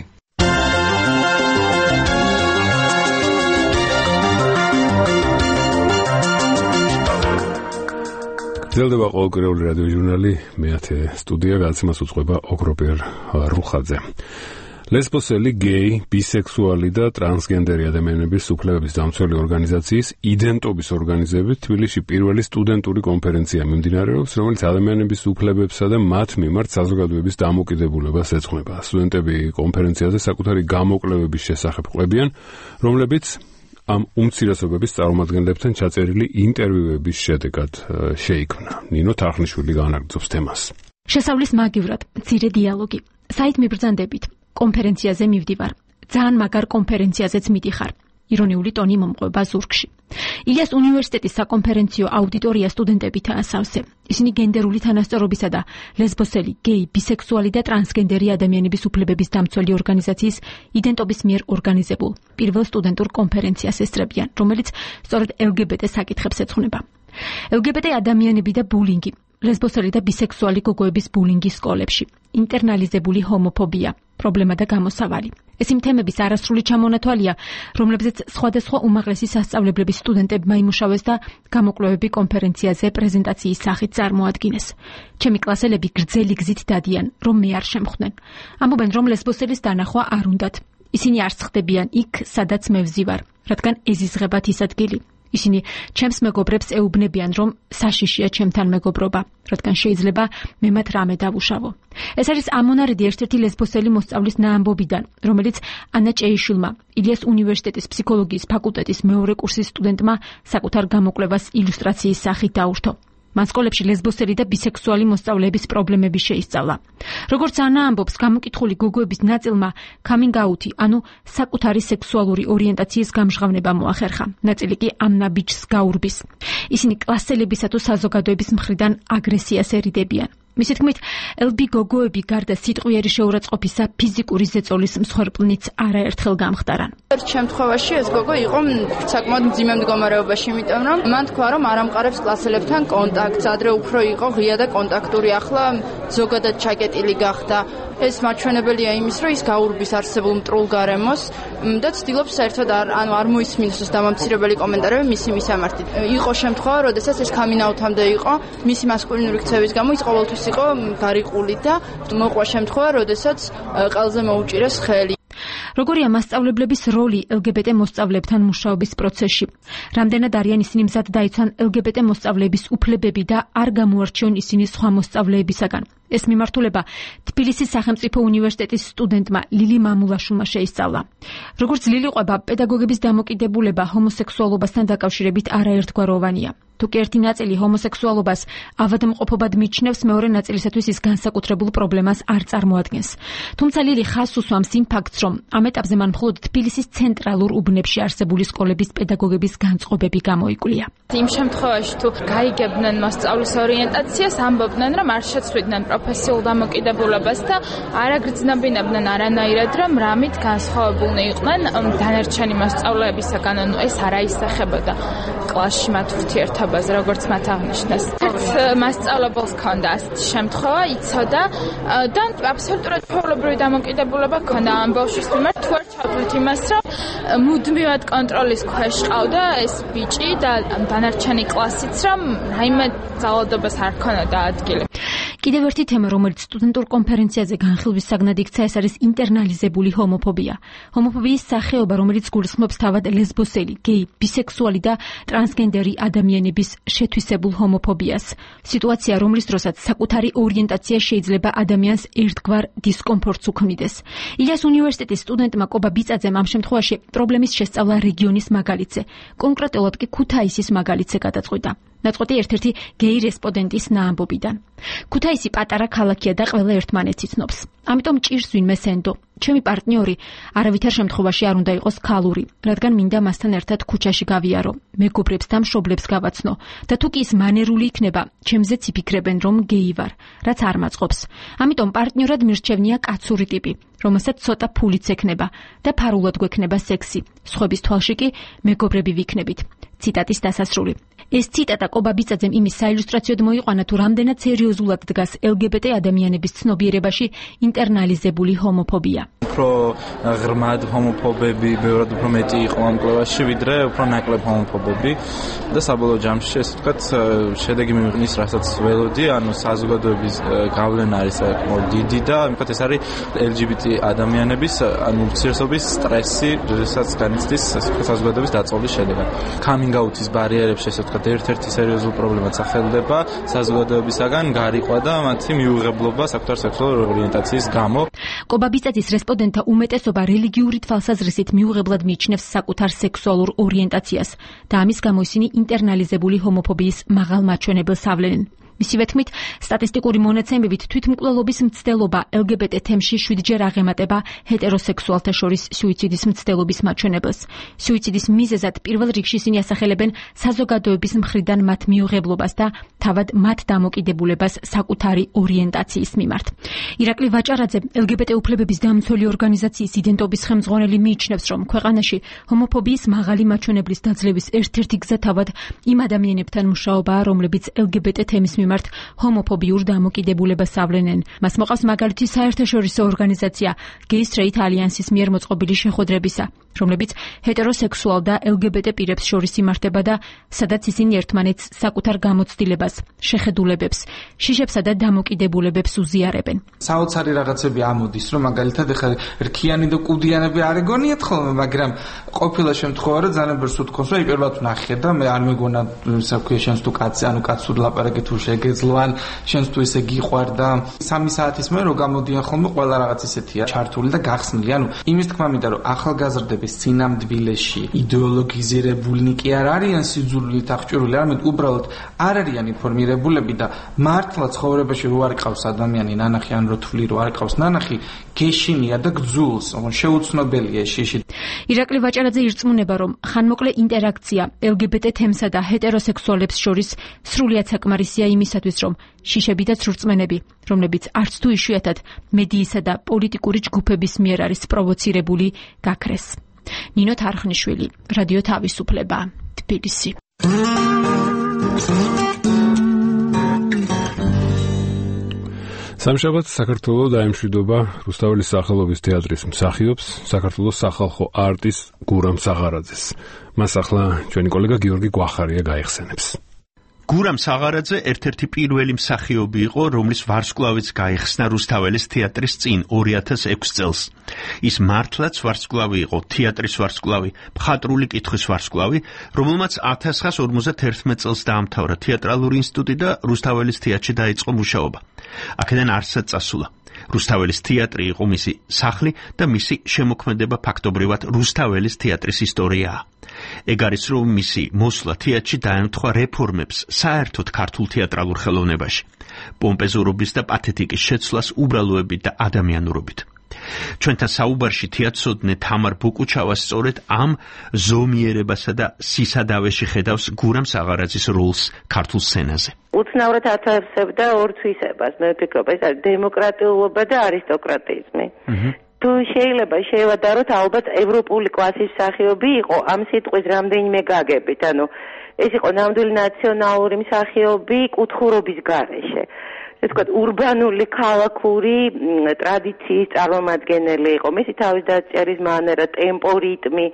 გრძელდება ყოველკვირეული რადიო ჟურნალი, მეათე სტუდია, გადაცემას უძღვება ოქროპიერ რუხაძე. ლესბოსელი, გეი, ბისექსუალი და ტრანსგენდერი ადამიანების უფლებების დამცველი ორგანიზაციის იდენტობის ორგანიზებით თბილისში პირველი სტუდენტური კონფერენცია მიმდინარეობს, რომელიც ადამიანების უფლებებსა და მათ მიმართ საზოგადოების დამოკიდებულებას ეძღვნება. სტუდენტები კონფერენციაზე საკუთარი გამოკვლევების შესახებ ყვებიან, რომლებიც ამ უმცირესობების წარმომადგენლებთან ჩაწერილი ინტერვიუების შედეგად შეიქმნა. ნინო თარხნიშვილი განაგრძობს თემას. შესავლის მაგივრად, მცირე დიალოგი. საით მიბრძანდებით. კონფერენციაზე მივდივარ. ძალიან მაგარ კონფერენციაზეც მიდიხარ. ირონიული ტონი მომყვება ზურგში. ილიას უნივერსიტეტის საკონფერენციო აუდიტორია სტუდენტებითაა სავსე. ისინი გენდერული თანასწორობისა და ლესბოსელი, გეი, ბისექსუალი და ტრანსგენდერი ადამიანების უფლებების დამცველი ორგანიზაციის იდენტობის მიერ ორგანიზებულ პირველ სტუდენტურ კონფერენციას ესწრებიან, რომელიც სწორედ ელ გი ბი ტე საკითხებს ეძღვნება. ელ გი ბი ტე ადამიანები და ბულინგი, ლესბოსელი და ბისექსუალი გოგოების ბულინგი სკოლებში, ინტერნალიზებული ჰომოფობია, პრობლემა და გამოსავალი. ეს იმ თემების არასრული ჩამონათვალია, რომლებზეც სხვადასხვა უმაღლესი სასწავლებლების სტუდენტებმა იმუშავეს და გამოკვლევები კონფერენციაზე პრეზენტაციის სახით წარმოადგინეს. ჩემი კლასელები გრძელი გზით დადიან, რომ მე არ შემხვდნენ. ამბობენ, რომ ლესბოსელის დანახვა არ უნდათ. ისინი არ სხდებიან იქ, სადაც მე ვზივარ, რადგან ეზიზღებათ ის ადგილი. ისინი ჩემს მეგობრებს ეუბნებიან, რომ საშიშია ჩემთან მეგობრობა, რადგან შეიძლება მე მათ რამე დავუშავო. ეს არის ამონარიდი ერთ-ერთი ლესბოსელი მოსწავლის ნაამბობიდან, რომელიც ანა ჭეიშვილმა, ილიას უნივერსიტეტის ფსიქოლოგიის ფაკულტეტის მეორე კურსის სტუდენტმა საკუთარ გამოკვლევას ილუსტრაციის სახით დაურთო. მან სკოლებში ლესბოსელი და ბისექსუალი მოსწავლეების პრობლემები შეისწავლა. როგორც ანა ამბობს, გამოკითხული გოგოების ნაწილმა coming-out-ი, ანუ საკუთარი სექსუალური ორიენტაციის გამჟღავნება მოახერხა. ნაწილი კი ამ ნაბიჯს გაურბის. ისინი კლასელებისა თუ საზოგადოების მხრიდან აგრესიას ერიდებიან. მისი თქმით, ელ ბი გოგოები გარდა სიტყვიერი შეურაცხყოფისა ფიზიკური ზეწოლის მსხვერპლნიც არაერთხელ გამხდარან. ერთ შემთხვევაში ეს გოგო იყო საკმაოდ მძიმე მდგომარეობაში, იმიტომ რომ მან თქვა, რომ არ ამყარებს კლასელებთან კონტაქტს, ადრე უფრო იყო ღია და კონტაქტური, ახლა ზოგადად ჩაკეტილი გახდა. ეს მაჩვენებელია იმის, რომ ის გაურბის არსებულ მტრულ გარემოს და ცდილობს საერთოდ არ ანუ არ მოისმინოს დამამცირებელი კომენტარები მისი მისამართით. იყო შემთხვევა, როდესაც ეს coming-out-მდე იყო, მისი მასკულინური ქცევის გამო ის ყოველთვის იყო გარიყული და მოყვა შემთხვევა, როდესაც ყელზე მოუჭირეს ხელი. როგორია მასწავლებლების როლი ელ გი ბი ტე მოსწავლეებთან მუშაობის პროცესში? რამდენად არიან ისინი მზად დაიცვან ელ გი ბი ტე მოსწავლეების უფლებები და არ გამოარჩიონ ისინი სხვა მოსწავლეებისაგან? ეს მიმართულება თბილისის სახელმწიფო უნივერსიტეტის სტუდენტმა ლილი მამულაშვილმა შეისწავლა. როგორც ლილი ყვება, პედაგოგების დამოკიდებულება ჰომოსექსუალობასთან დაკავშირებით არაერთგვაროვანია. თუკი ერთი ნაწილი ჰომოსექსუალობას ავადმყოფობად მიჩნევს, მეორე ნაწილისათვის ის განსაკუთრებულ პრობლემას არ წარმოადგენს. თუმცა ლილი ხაზს უსვამს იმ ფაქტს, რომ ამ ეტაპზე მან მხოლოდ თბილისის ცენტრალურ უბნებში არსებული სკოლების პედაგოგების განწყობები გამოიკვლია. იმ შემთხვევაში თუ გაიგებდნენ მოსწავლის ორიენტაციას, ამბობდნენ, რომ არ შეცვლიდნენ პროფესიულ დამოკიდებულებას და არ აგრძნობინებდნენ არანაირად, რომ რამით განსხვავებულნი იყვნენ დანარჩენი მოსწავლეებისაგან, ანუ ეს არ აისახებოდა კლასში მათ ურთიერთობაზე, როგორც მათ აღნიშნეს. მასწავლებელს ჰქონდა ასეთი შემთხვევა, იცოდა და აბსოლუტურად ფაულებრივი დამოკიდებულება ჰქონდა ამ ბავშვის მიმართ, თუ არ ჩავთვლით იმას, რომ მუდმივად კონტროლის ქვეშ ყავდა ეს ბიჭი და დანარჩენი კლასიც, რომ რაიმე ძალადობას არ ჰქონოდა ადგილი. კიდევ ერთი თემა, რომელიც სტუდენტურ კონფერენციაზე განხილვის საგნად იქცა, ეს არის ინტერნალიზებული ჰომოფობია. ჰომოფობიის სახეობა, რომელიც გულისხმობს თავად ლესბოსელი, გეი, ბისექსუალი და ტრანსგენდერი ადამიანების შეთვისებულ ჰომოფობიას. სიტუაცია, რომლის დროსაც საკუთარი ორიენტაცია შეიძლება ადამიანს ერთგვარ დისკომფორტს უქმნიდეს. ილიას უნივერსიტეტის სტუდენტმა კობა ბიწაძემ ამ შემთხვევაში პრობლემის შესწავლა რეგიონის მაგალითზე, კონკრეტულად კი ქუთაისის მაგალითზე გადაწყვიტა. ნაწყვეტი ერთ-ერთი გეი რესპონდენტის ნაამბობიდან. ქუთაისი პატარა ქალაქია და ყველა ერთმანეთს იცნობს. ამიტომ ჭირს ვინმე სენდო. ჩემი პარტნიორი არავითარ შემთხვევაში არ უნდა იყოს ქალური, რადგან მინდა მასთან ერთად ქუჩაში გავიარო, მეგობრებს და მშობლებს გავაცნო და თუ კი ის მანერული იქნება, ჩემზეც იფიქრებენ, რომ გეი ვარ, რაც არ მაწყობს. ამიტომ პარტნიორად მირჩევნია კაცური ტიპი, რომელსაც ცოტა ფულიც ექნება და ფარულად გვექნება სექსი. სხვების თვალში კი მეგობრები ვიქნებით. ციტატის დასასრული. ეს ციტატა კობა ბიწაძემ იმის საილუსტრაციოდ მოიყვანა, თუ რამდენად სერიოზულად დგას ელ გი ბი ტე ადამიანების ცნობიერებაში ინტერნალიზებული ჰომოფობია. უფრო ღრმად ჰომოფობები, ბევრად უფრო მეტი იყო ამ კვლევაში, ვიდრე უფრო ნაკლებ ჰომოფობები და საბოლოო ჯამში ესე ვთქვათ, შედეგი მივიღნის, რასაც ველოდი, ანუ საზოგადოების გავლენა არის საკმაოდ დიდი და ამიტომ ეს არის ელ ჯი ბი ტი ადამიანების ანუ ურთიერთობის სტრესი, როდესაც განიცდის საზოგადოების დაწოლის შედეგად. Coming out-ის ბარიერებში ესე ვთქვათ, ერთ-ერთი სერიოზული პრობლემა სახელდება საზოგადოებისაგან გარიყვა და მათი მიუღებლობა საკუთარ სექსუალურ ორიენტაციის გამო. კობა ბიწაძის რესპონდენტთა უმეტესობა რელიგიური თვალსაზრისით მიუღებლად მიიჩნევს საკუთარ სექსუალურ ორიენტაციას და ამის გამო ისინი ინტერნალიზებული ჰომოფობიის მაღალ მაჩვენებელს ავლენენ. მისივე თქმით, სტატისტიკური მონაცემებით თვითმკვლელობის მცდელობა ელ გი ბი ტე თემში შვიდჯერ აღემატება ჰეტეროსექსუალთა შორის სუიციდის მცდელობის მაჩვენებელს. სუიციდის მიზეზად პირველ რიგში ისინი ასახელებენ საზოგადოების მხრიდან მათ მიუღებლობას და თავად მათ დამოკიდებულებას საკუთარი ორიენტაციის მიმართ. ირაკლი ვაჭარაძე, ელ გი ბი ტე უფლებების დამცველი ორგანიზაციის იდენტობის ხელმძღვანელი მიიჩნევს, რომ ქვეყანაში ჰომოფობიის მაღალი მაჩვენებლის დაძლევის ერთ-ერთი გზა თავად იმ ადამიანებთან მუშაობაა, რომლებიც ელ გი ბი ტე თემის მიმართ ჰომოფობიურ დამოკიდებულებას ავლენენ. მას მოყავს მაგალითი საერთაშორისო ორგანიზაცია Gay Straight Alliance-ის მიერ მოწყობილი შეხვედრებისა, რომლებიც ჰეტეროსექსუალ და ელ გი ბი ტე პირებს შორის იმართება და სადაც ისინი ერთმანეთს საკუთარ გამოცდილებას, შეხედულებებს, შიშებსა და დამოკიდებულებებს უზიარებენ. საოცარი რაღაცები ამოდის, რომ მაგალითად ეხლა რქიანი და კუდიანები არ ეგონიათ ხოლმე, მაგრამ ყოფილა შემთხვევა, რომ ძალიან ბევრს უთქვას, რომ პირველად ვნახე და მე არ მეგონა საქმე შენს თუ კაცი, ანუ კაცური ლაპარაკი თუ შეგეძლოან, შენს თუ ესე გიყვარ და სამი საათის მერე რო გამოდიან ხოლმე ყველა რაღაც ისეთია ჩართული და გახსნილი. ანუ იმის თქმა მინდა, რომ ახალგაზრდების წინამძბილეში იდეოლოგიზირებულნი კი არ არიან სიძულვილით აღჭურვილი, არამედ უბრალოდ არ არიან ინფორმირებულები და მართლა ცხოვრებაში რო არ ყავს ადამიანი ნანახი, ან რო თვლი რო არ ყავს ნანახი, გეშინია და გძულს, ანუ შეუცნობელია შიში. ირაკლი ვაჭარაძე ირწმუნება, რომ ხანმოკლე ინტერაქცია ელ გი ბი ტე თემსა და ჰეტეროსექსუალებს შორის სრულიად საკმარისია იმისათვის, რომ შიშები და ცრურწმენები, რომლებიც არც თუ იშვიათად მედიისა და პოლიტიკური ჯგუფების მიერ არის პროვოცირებული, გაქრეს. ნინო თარხნიშვილი, რადიო თავისუფლება, თბილისი. სამშაბათს საქართველოს დაემშვიდობა რუსთაველის სახელობის თეატრის მსახიობს, საქართველოს სახალხო არტის გურამ საღარაძეს. მას ახლა ჩვენი კოლეგა გიორგი გვახარია გაიხსენებს. გურამ საღარაძე ერთ-ერთი პირველი მსახიობი იყო, რომლის ვარსკვლავიც გაიხსნა რუსთაველის თეატრის წინ ორი ათას ექვსი წელს. ის მართლაც ვარსკვლავი იყო, თეატრის ვარსკვლავი, მხატვრული კითხვის ვარსკვლავი, რომელმაც ათას ორმოცდაერთმეტ წელს დაამთავრა თეატრალური ინსტიტუტი და რუსთაველის თეატრში დაიწყო მუშაობა. აქედან არსად წასულა. რუსთაველის თეატრი იყო მისი სახლი და მისი შემოქმედება ფაქტობრივად რუსთაველის თეატრის ისტორიაა. ეგ არის, რომ მისი მოსვლა თეატრში დაემთხვა რეფორმებს საერთოდ ქართულ თეატრალურ ხელოვნებაში, პომპეზურობის და პათეტიკის შეცვლას უბრალოებით და ადამიანურობით. ჩვენთან საუბარში თეატრსოდნე თამარ ბუკუჩავას სწორედ ამ ზომიერებასა და სისადავეში ხედავს გურამ საღარაძის როლს ქართულ სცენაზე. უცნაურად ათარსებდა ორ თვისებას, მე ვფიქრობ, ეს არის დემოკრატიულობა და არისტოკრატიზმი. თუ შეიძლება შევადაროთ, ალბათ ევროპული კლასის მსახიობი იყო ამ სიტყვის რამდენიმე გაგებით, ანუ ეს იყო ნამდვილი ნაციონალური მსახიობი კუთხურობის გარეშე. ეს თქვა ურბანული ქალაქური ტრადიციის წარმომადგენელი იყო. მისი თავის დაწერის მანერა, ტემპო, რიტმი,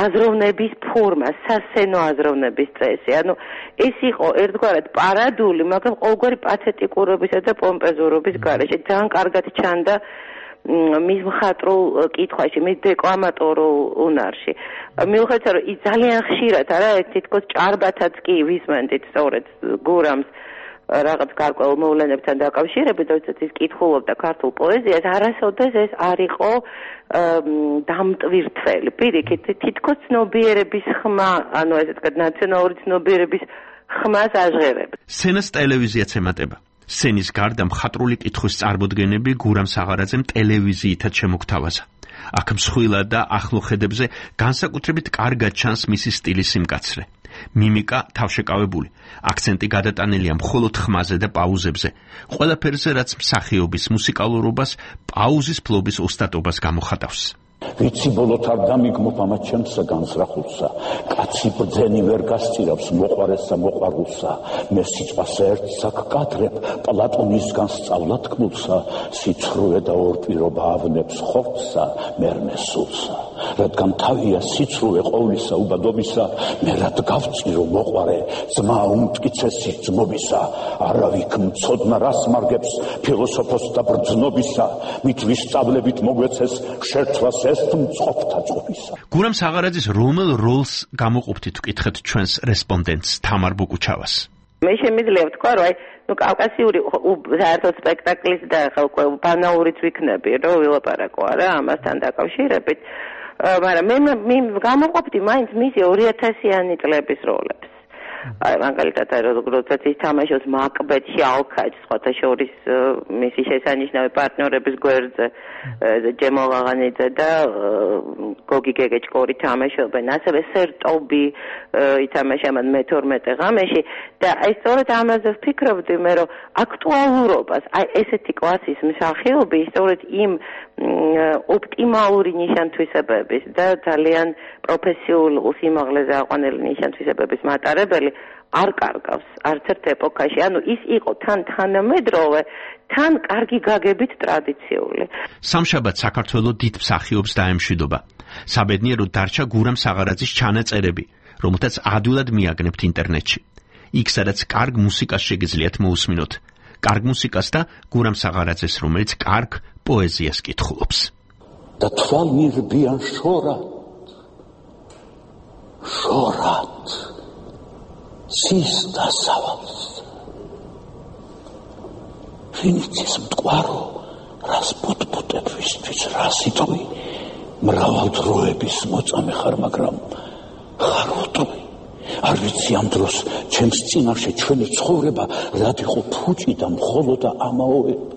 აზროვნების ფორმა, სასცენო აზროვნების წესი. ანუ ეს იყო ერთგვარად პარადული, მაგრამ ყოველგვარი პათეტიკურობისა და პომპეზურობის გარეშე. ძალიან კარგად ჩანდა მის მხატვრულ კითხვაში, მის დეკლამატორულ უნარში. მიუხედავად, რომ ის ძალიან ხშირად არა თითქოს ჭარბათაც კი ვისმენდით სწორედ გურამს რაღაც გარკვეულ მოვლენებთან დაკავშირებით, როდესაც ის კითხულობდა ქართულ პოეზიას, არასოდეს ეს არ იყო დამტვირთველი. პირიქით, თითქოს ცნობიერების ხმა, ანუ ესე ვთქვათ, ნაციონალური ცნობიერების ხმას აჟღერებს. სცენას ტელევიზიაც ემატება. სცენის გარდა მხატვრული კითხვის წარმოდგენები გურამ საღარაძემ ტელევიზიითაც შემოგთავაზა. აქ მსხვილა და ახლო ხედებზე განსაკუთრებით კარგად ჩანს მისი სტილის სიმკაცრე. მიმიკა თავშეკავებული, აქცენტი გადატანილია მხოლოდ ხმაზე და პაუზებზე. ყველაფერზე, რაც მსახიობის მუსიკალურობას, პაუზის ფლობის ოსტატობას გამოხატავს. ვიცი ბოლოთ არ დამიგმობ ამათ ჩემსა განსრახულსა, კაცი ბრძენი ვერ გასწირავს მოყვარესა მოყვარულსა, მე სიტყვას ერთსა გკადრებ პლატონისგან სწავლა თქმულსა, სიცრუე და ორპირობა ავნებს ხორცსა, მერმე სულსა. რადგან თავია სიცრუე ყოვლისა უბადობისა, მე რად გავწირო მოყვარე ძმა უმტკიცესი ძმობისა, არავიქ მცოდნა რას მარგებს ფილოსოფოს და ბრძნობისა, მით ვისწავლებით მოგვეცეს შერთვას გურამ საღარაძის რომელ როლს გამოყოფთით ვკითხეთ ჩვენს რესპონდენტს თამარ ბუკუჩავას. მე შემიძლია ვთქვა, რომ აი, ნუ კავკასიური საერთოდ სპექტაკლის და ხალხო ბანაურიც ვიქნები, რომ ვილაპარაკო არა ამასთან დაკავშირებით, მაგრამ მე მე გამოყოფდი მაინც მისი ორი ათასიანი წლების როლებს. აი, მაგალითად, როდესაც ის თამაშობს მაკბეთში ალქაჯს, სხვათა შორის მისი შესანიშნავი პარტნიორების გვერდზე, ჯემო ვაღანიძე და გოგი გეგეჭკორი თამაშობენ, ასევე სერტობი ითამაშა მან მეთორმეტე ღამეში და აი სწორედ ამაზე ვფიქრობდი მე, რომ აქტუალურობას, აი ესეთი კლასის მსახიობი სწორედ იმ ოპტიმალური ნიშანთვისებების და ძალიან პროფესიულ სიმაღლეზე აყვანილი ნიშანთვისებების მატარებელი არ კარგავს არც ერთ ეპოქაში. ანუ ის იყო თან თანამედროვე, თან კარგი გაგებით ტრადიციული. სამშაბათ საქართველოს დიდ მსახიობს დაემშვიდობა. საბედნიეროდ დარჩა გურამ საღარაძის ჩანაწერები, რომელთაც ადვილად მიაგნებთ ინტერნეტში. იქ სადაც კარგ მუსიკას შეგიძლიათ მოусმინოთ. კარგ მუსიკას და გურამ საღარაძეს, რომელიც კარგ პოეზიას კითხულობს. და თვალ მირბიან შორად, შორად, cis დასავალს. ვინიცის მტკვარო, რას ბუტბუტებისთვის, რას იტყვი, მრავალ დროების მოწამე ხარ, მაგრამ ხარ უტყვი. არ ვიცი ამ დროს ჩემს წინაშე ჩვენი ცხოვრება რად იყო ფუჭი და მხოლოდ ამაოება.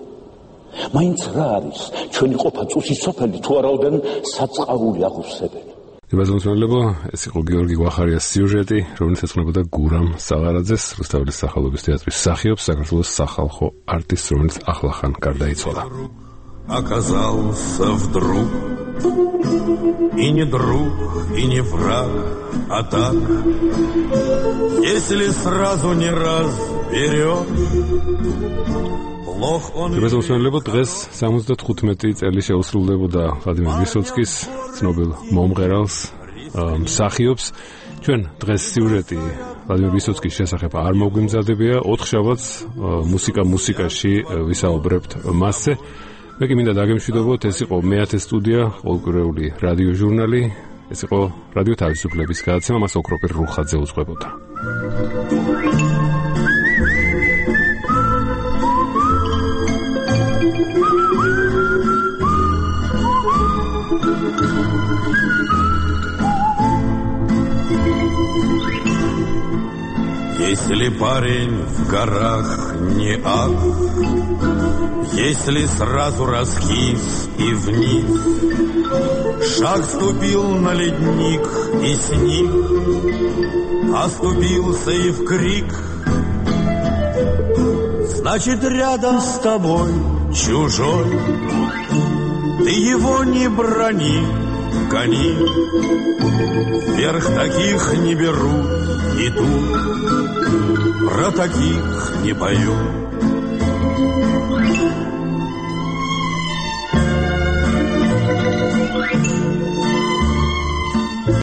მაინც რა არის ჩვენი ყოფა წუსის სოფელი თუ არაოდენ საწყავული აღუსებელი. ებაზმოსმელებო, ეს იყო გიორგი გვახარიას სიუჟეტი, რომელიც ეძღვნებოდა გურამ საღარაძეს, რუსთაველის სახელობის თეატრის მსახიობს, საქართველოს სახალხო არტისტს, რომელიც ახლახან გარდაიცვალა. Оказался вдруг и не друг, и не враг, а так, если сразу не разберешь. ებაზმოსმელებო, დღეს სამოცდათხუთმეტი წელი შეუსრულდებოდა ვლადიმერ ვისოცკის, ცნობილ მომღერალს, მსახიობს. ჩვენ დღეს სიუჟეტი ვლადიმერ ვისოცკის შესახებ არ მოგვიმზადებია. ოთხშაბათს მუსიკა მუსიკაში ვისაუბრებთ მასზე. მე კი მინდა დაგემშვიდობოთ, ეს იყო მეათე სტუდია, ყოველკვირეული რადიო ჟურნალი. ეს იყო რადიო თავისუფლების გადაცემა, მას ოქროპირ რუხაძე უძღვებოდა. Если парень в горах не ад, если сразу раскис и вниз, шаг ступил на ледник и сник, оступился и в крик, значит рядом с тобой чужой, ты его не брони, гони, вверх таких не берут, и тут про таких не поют.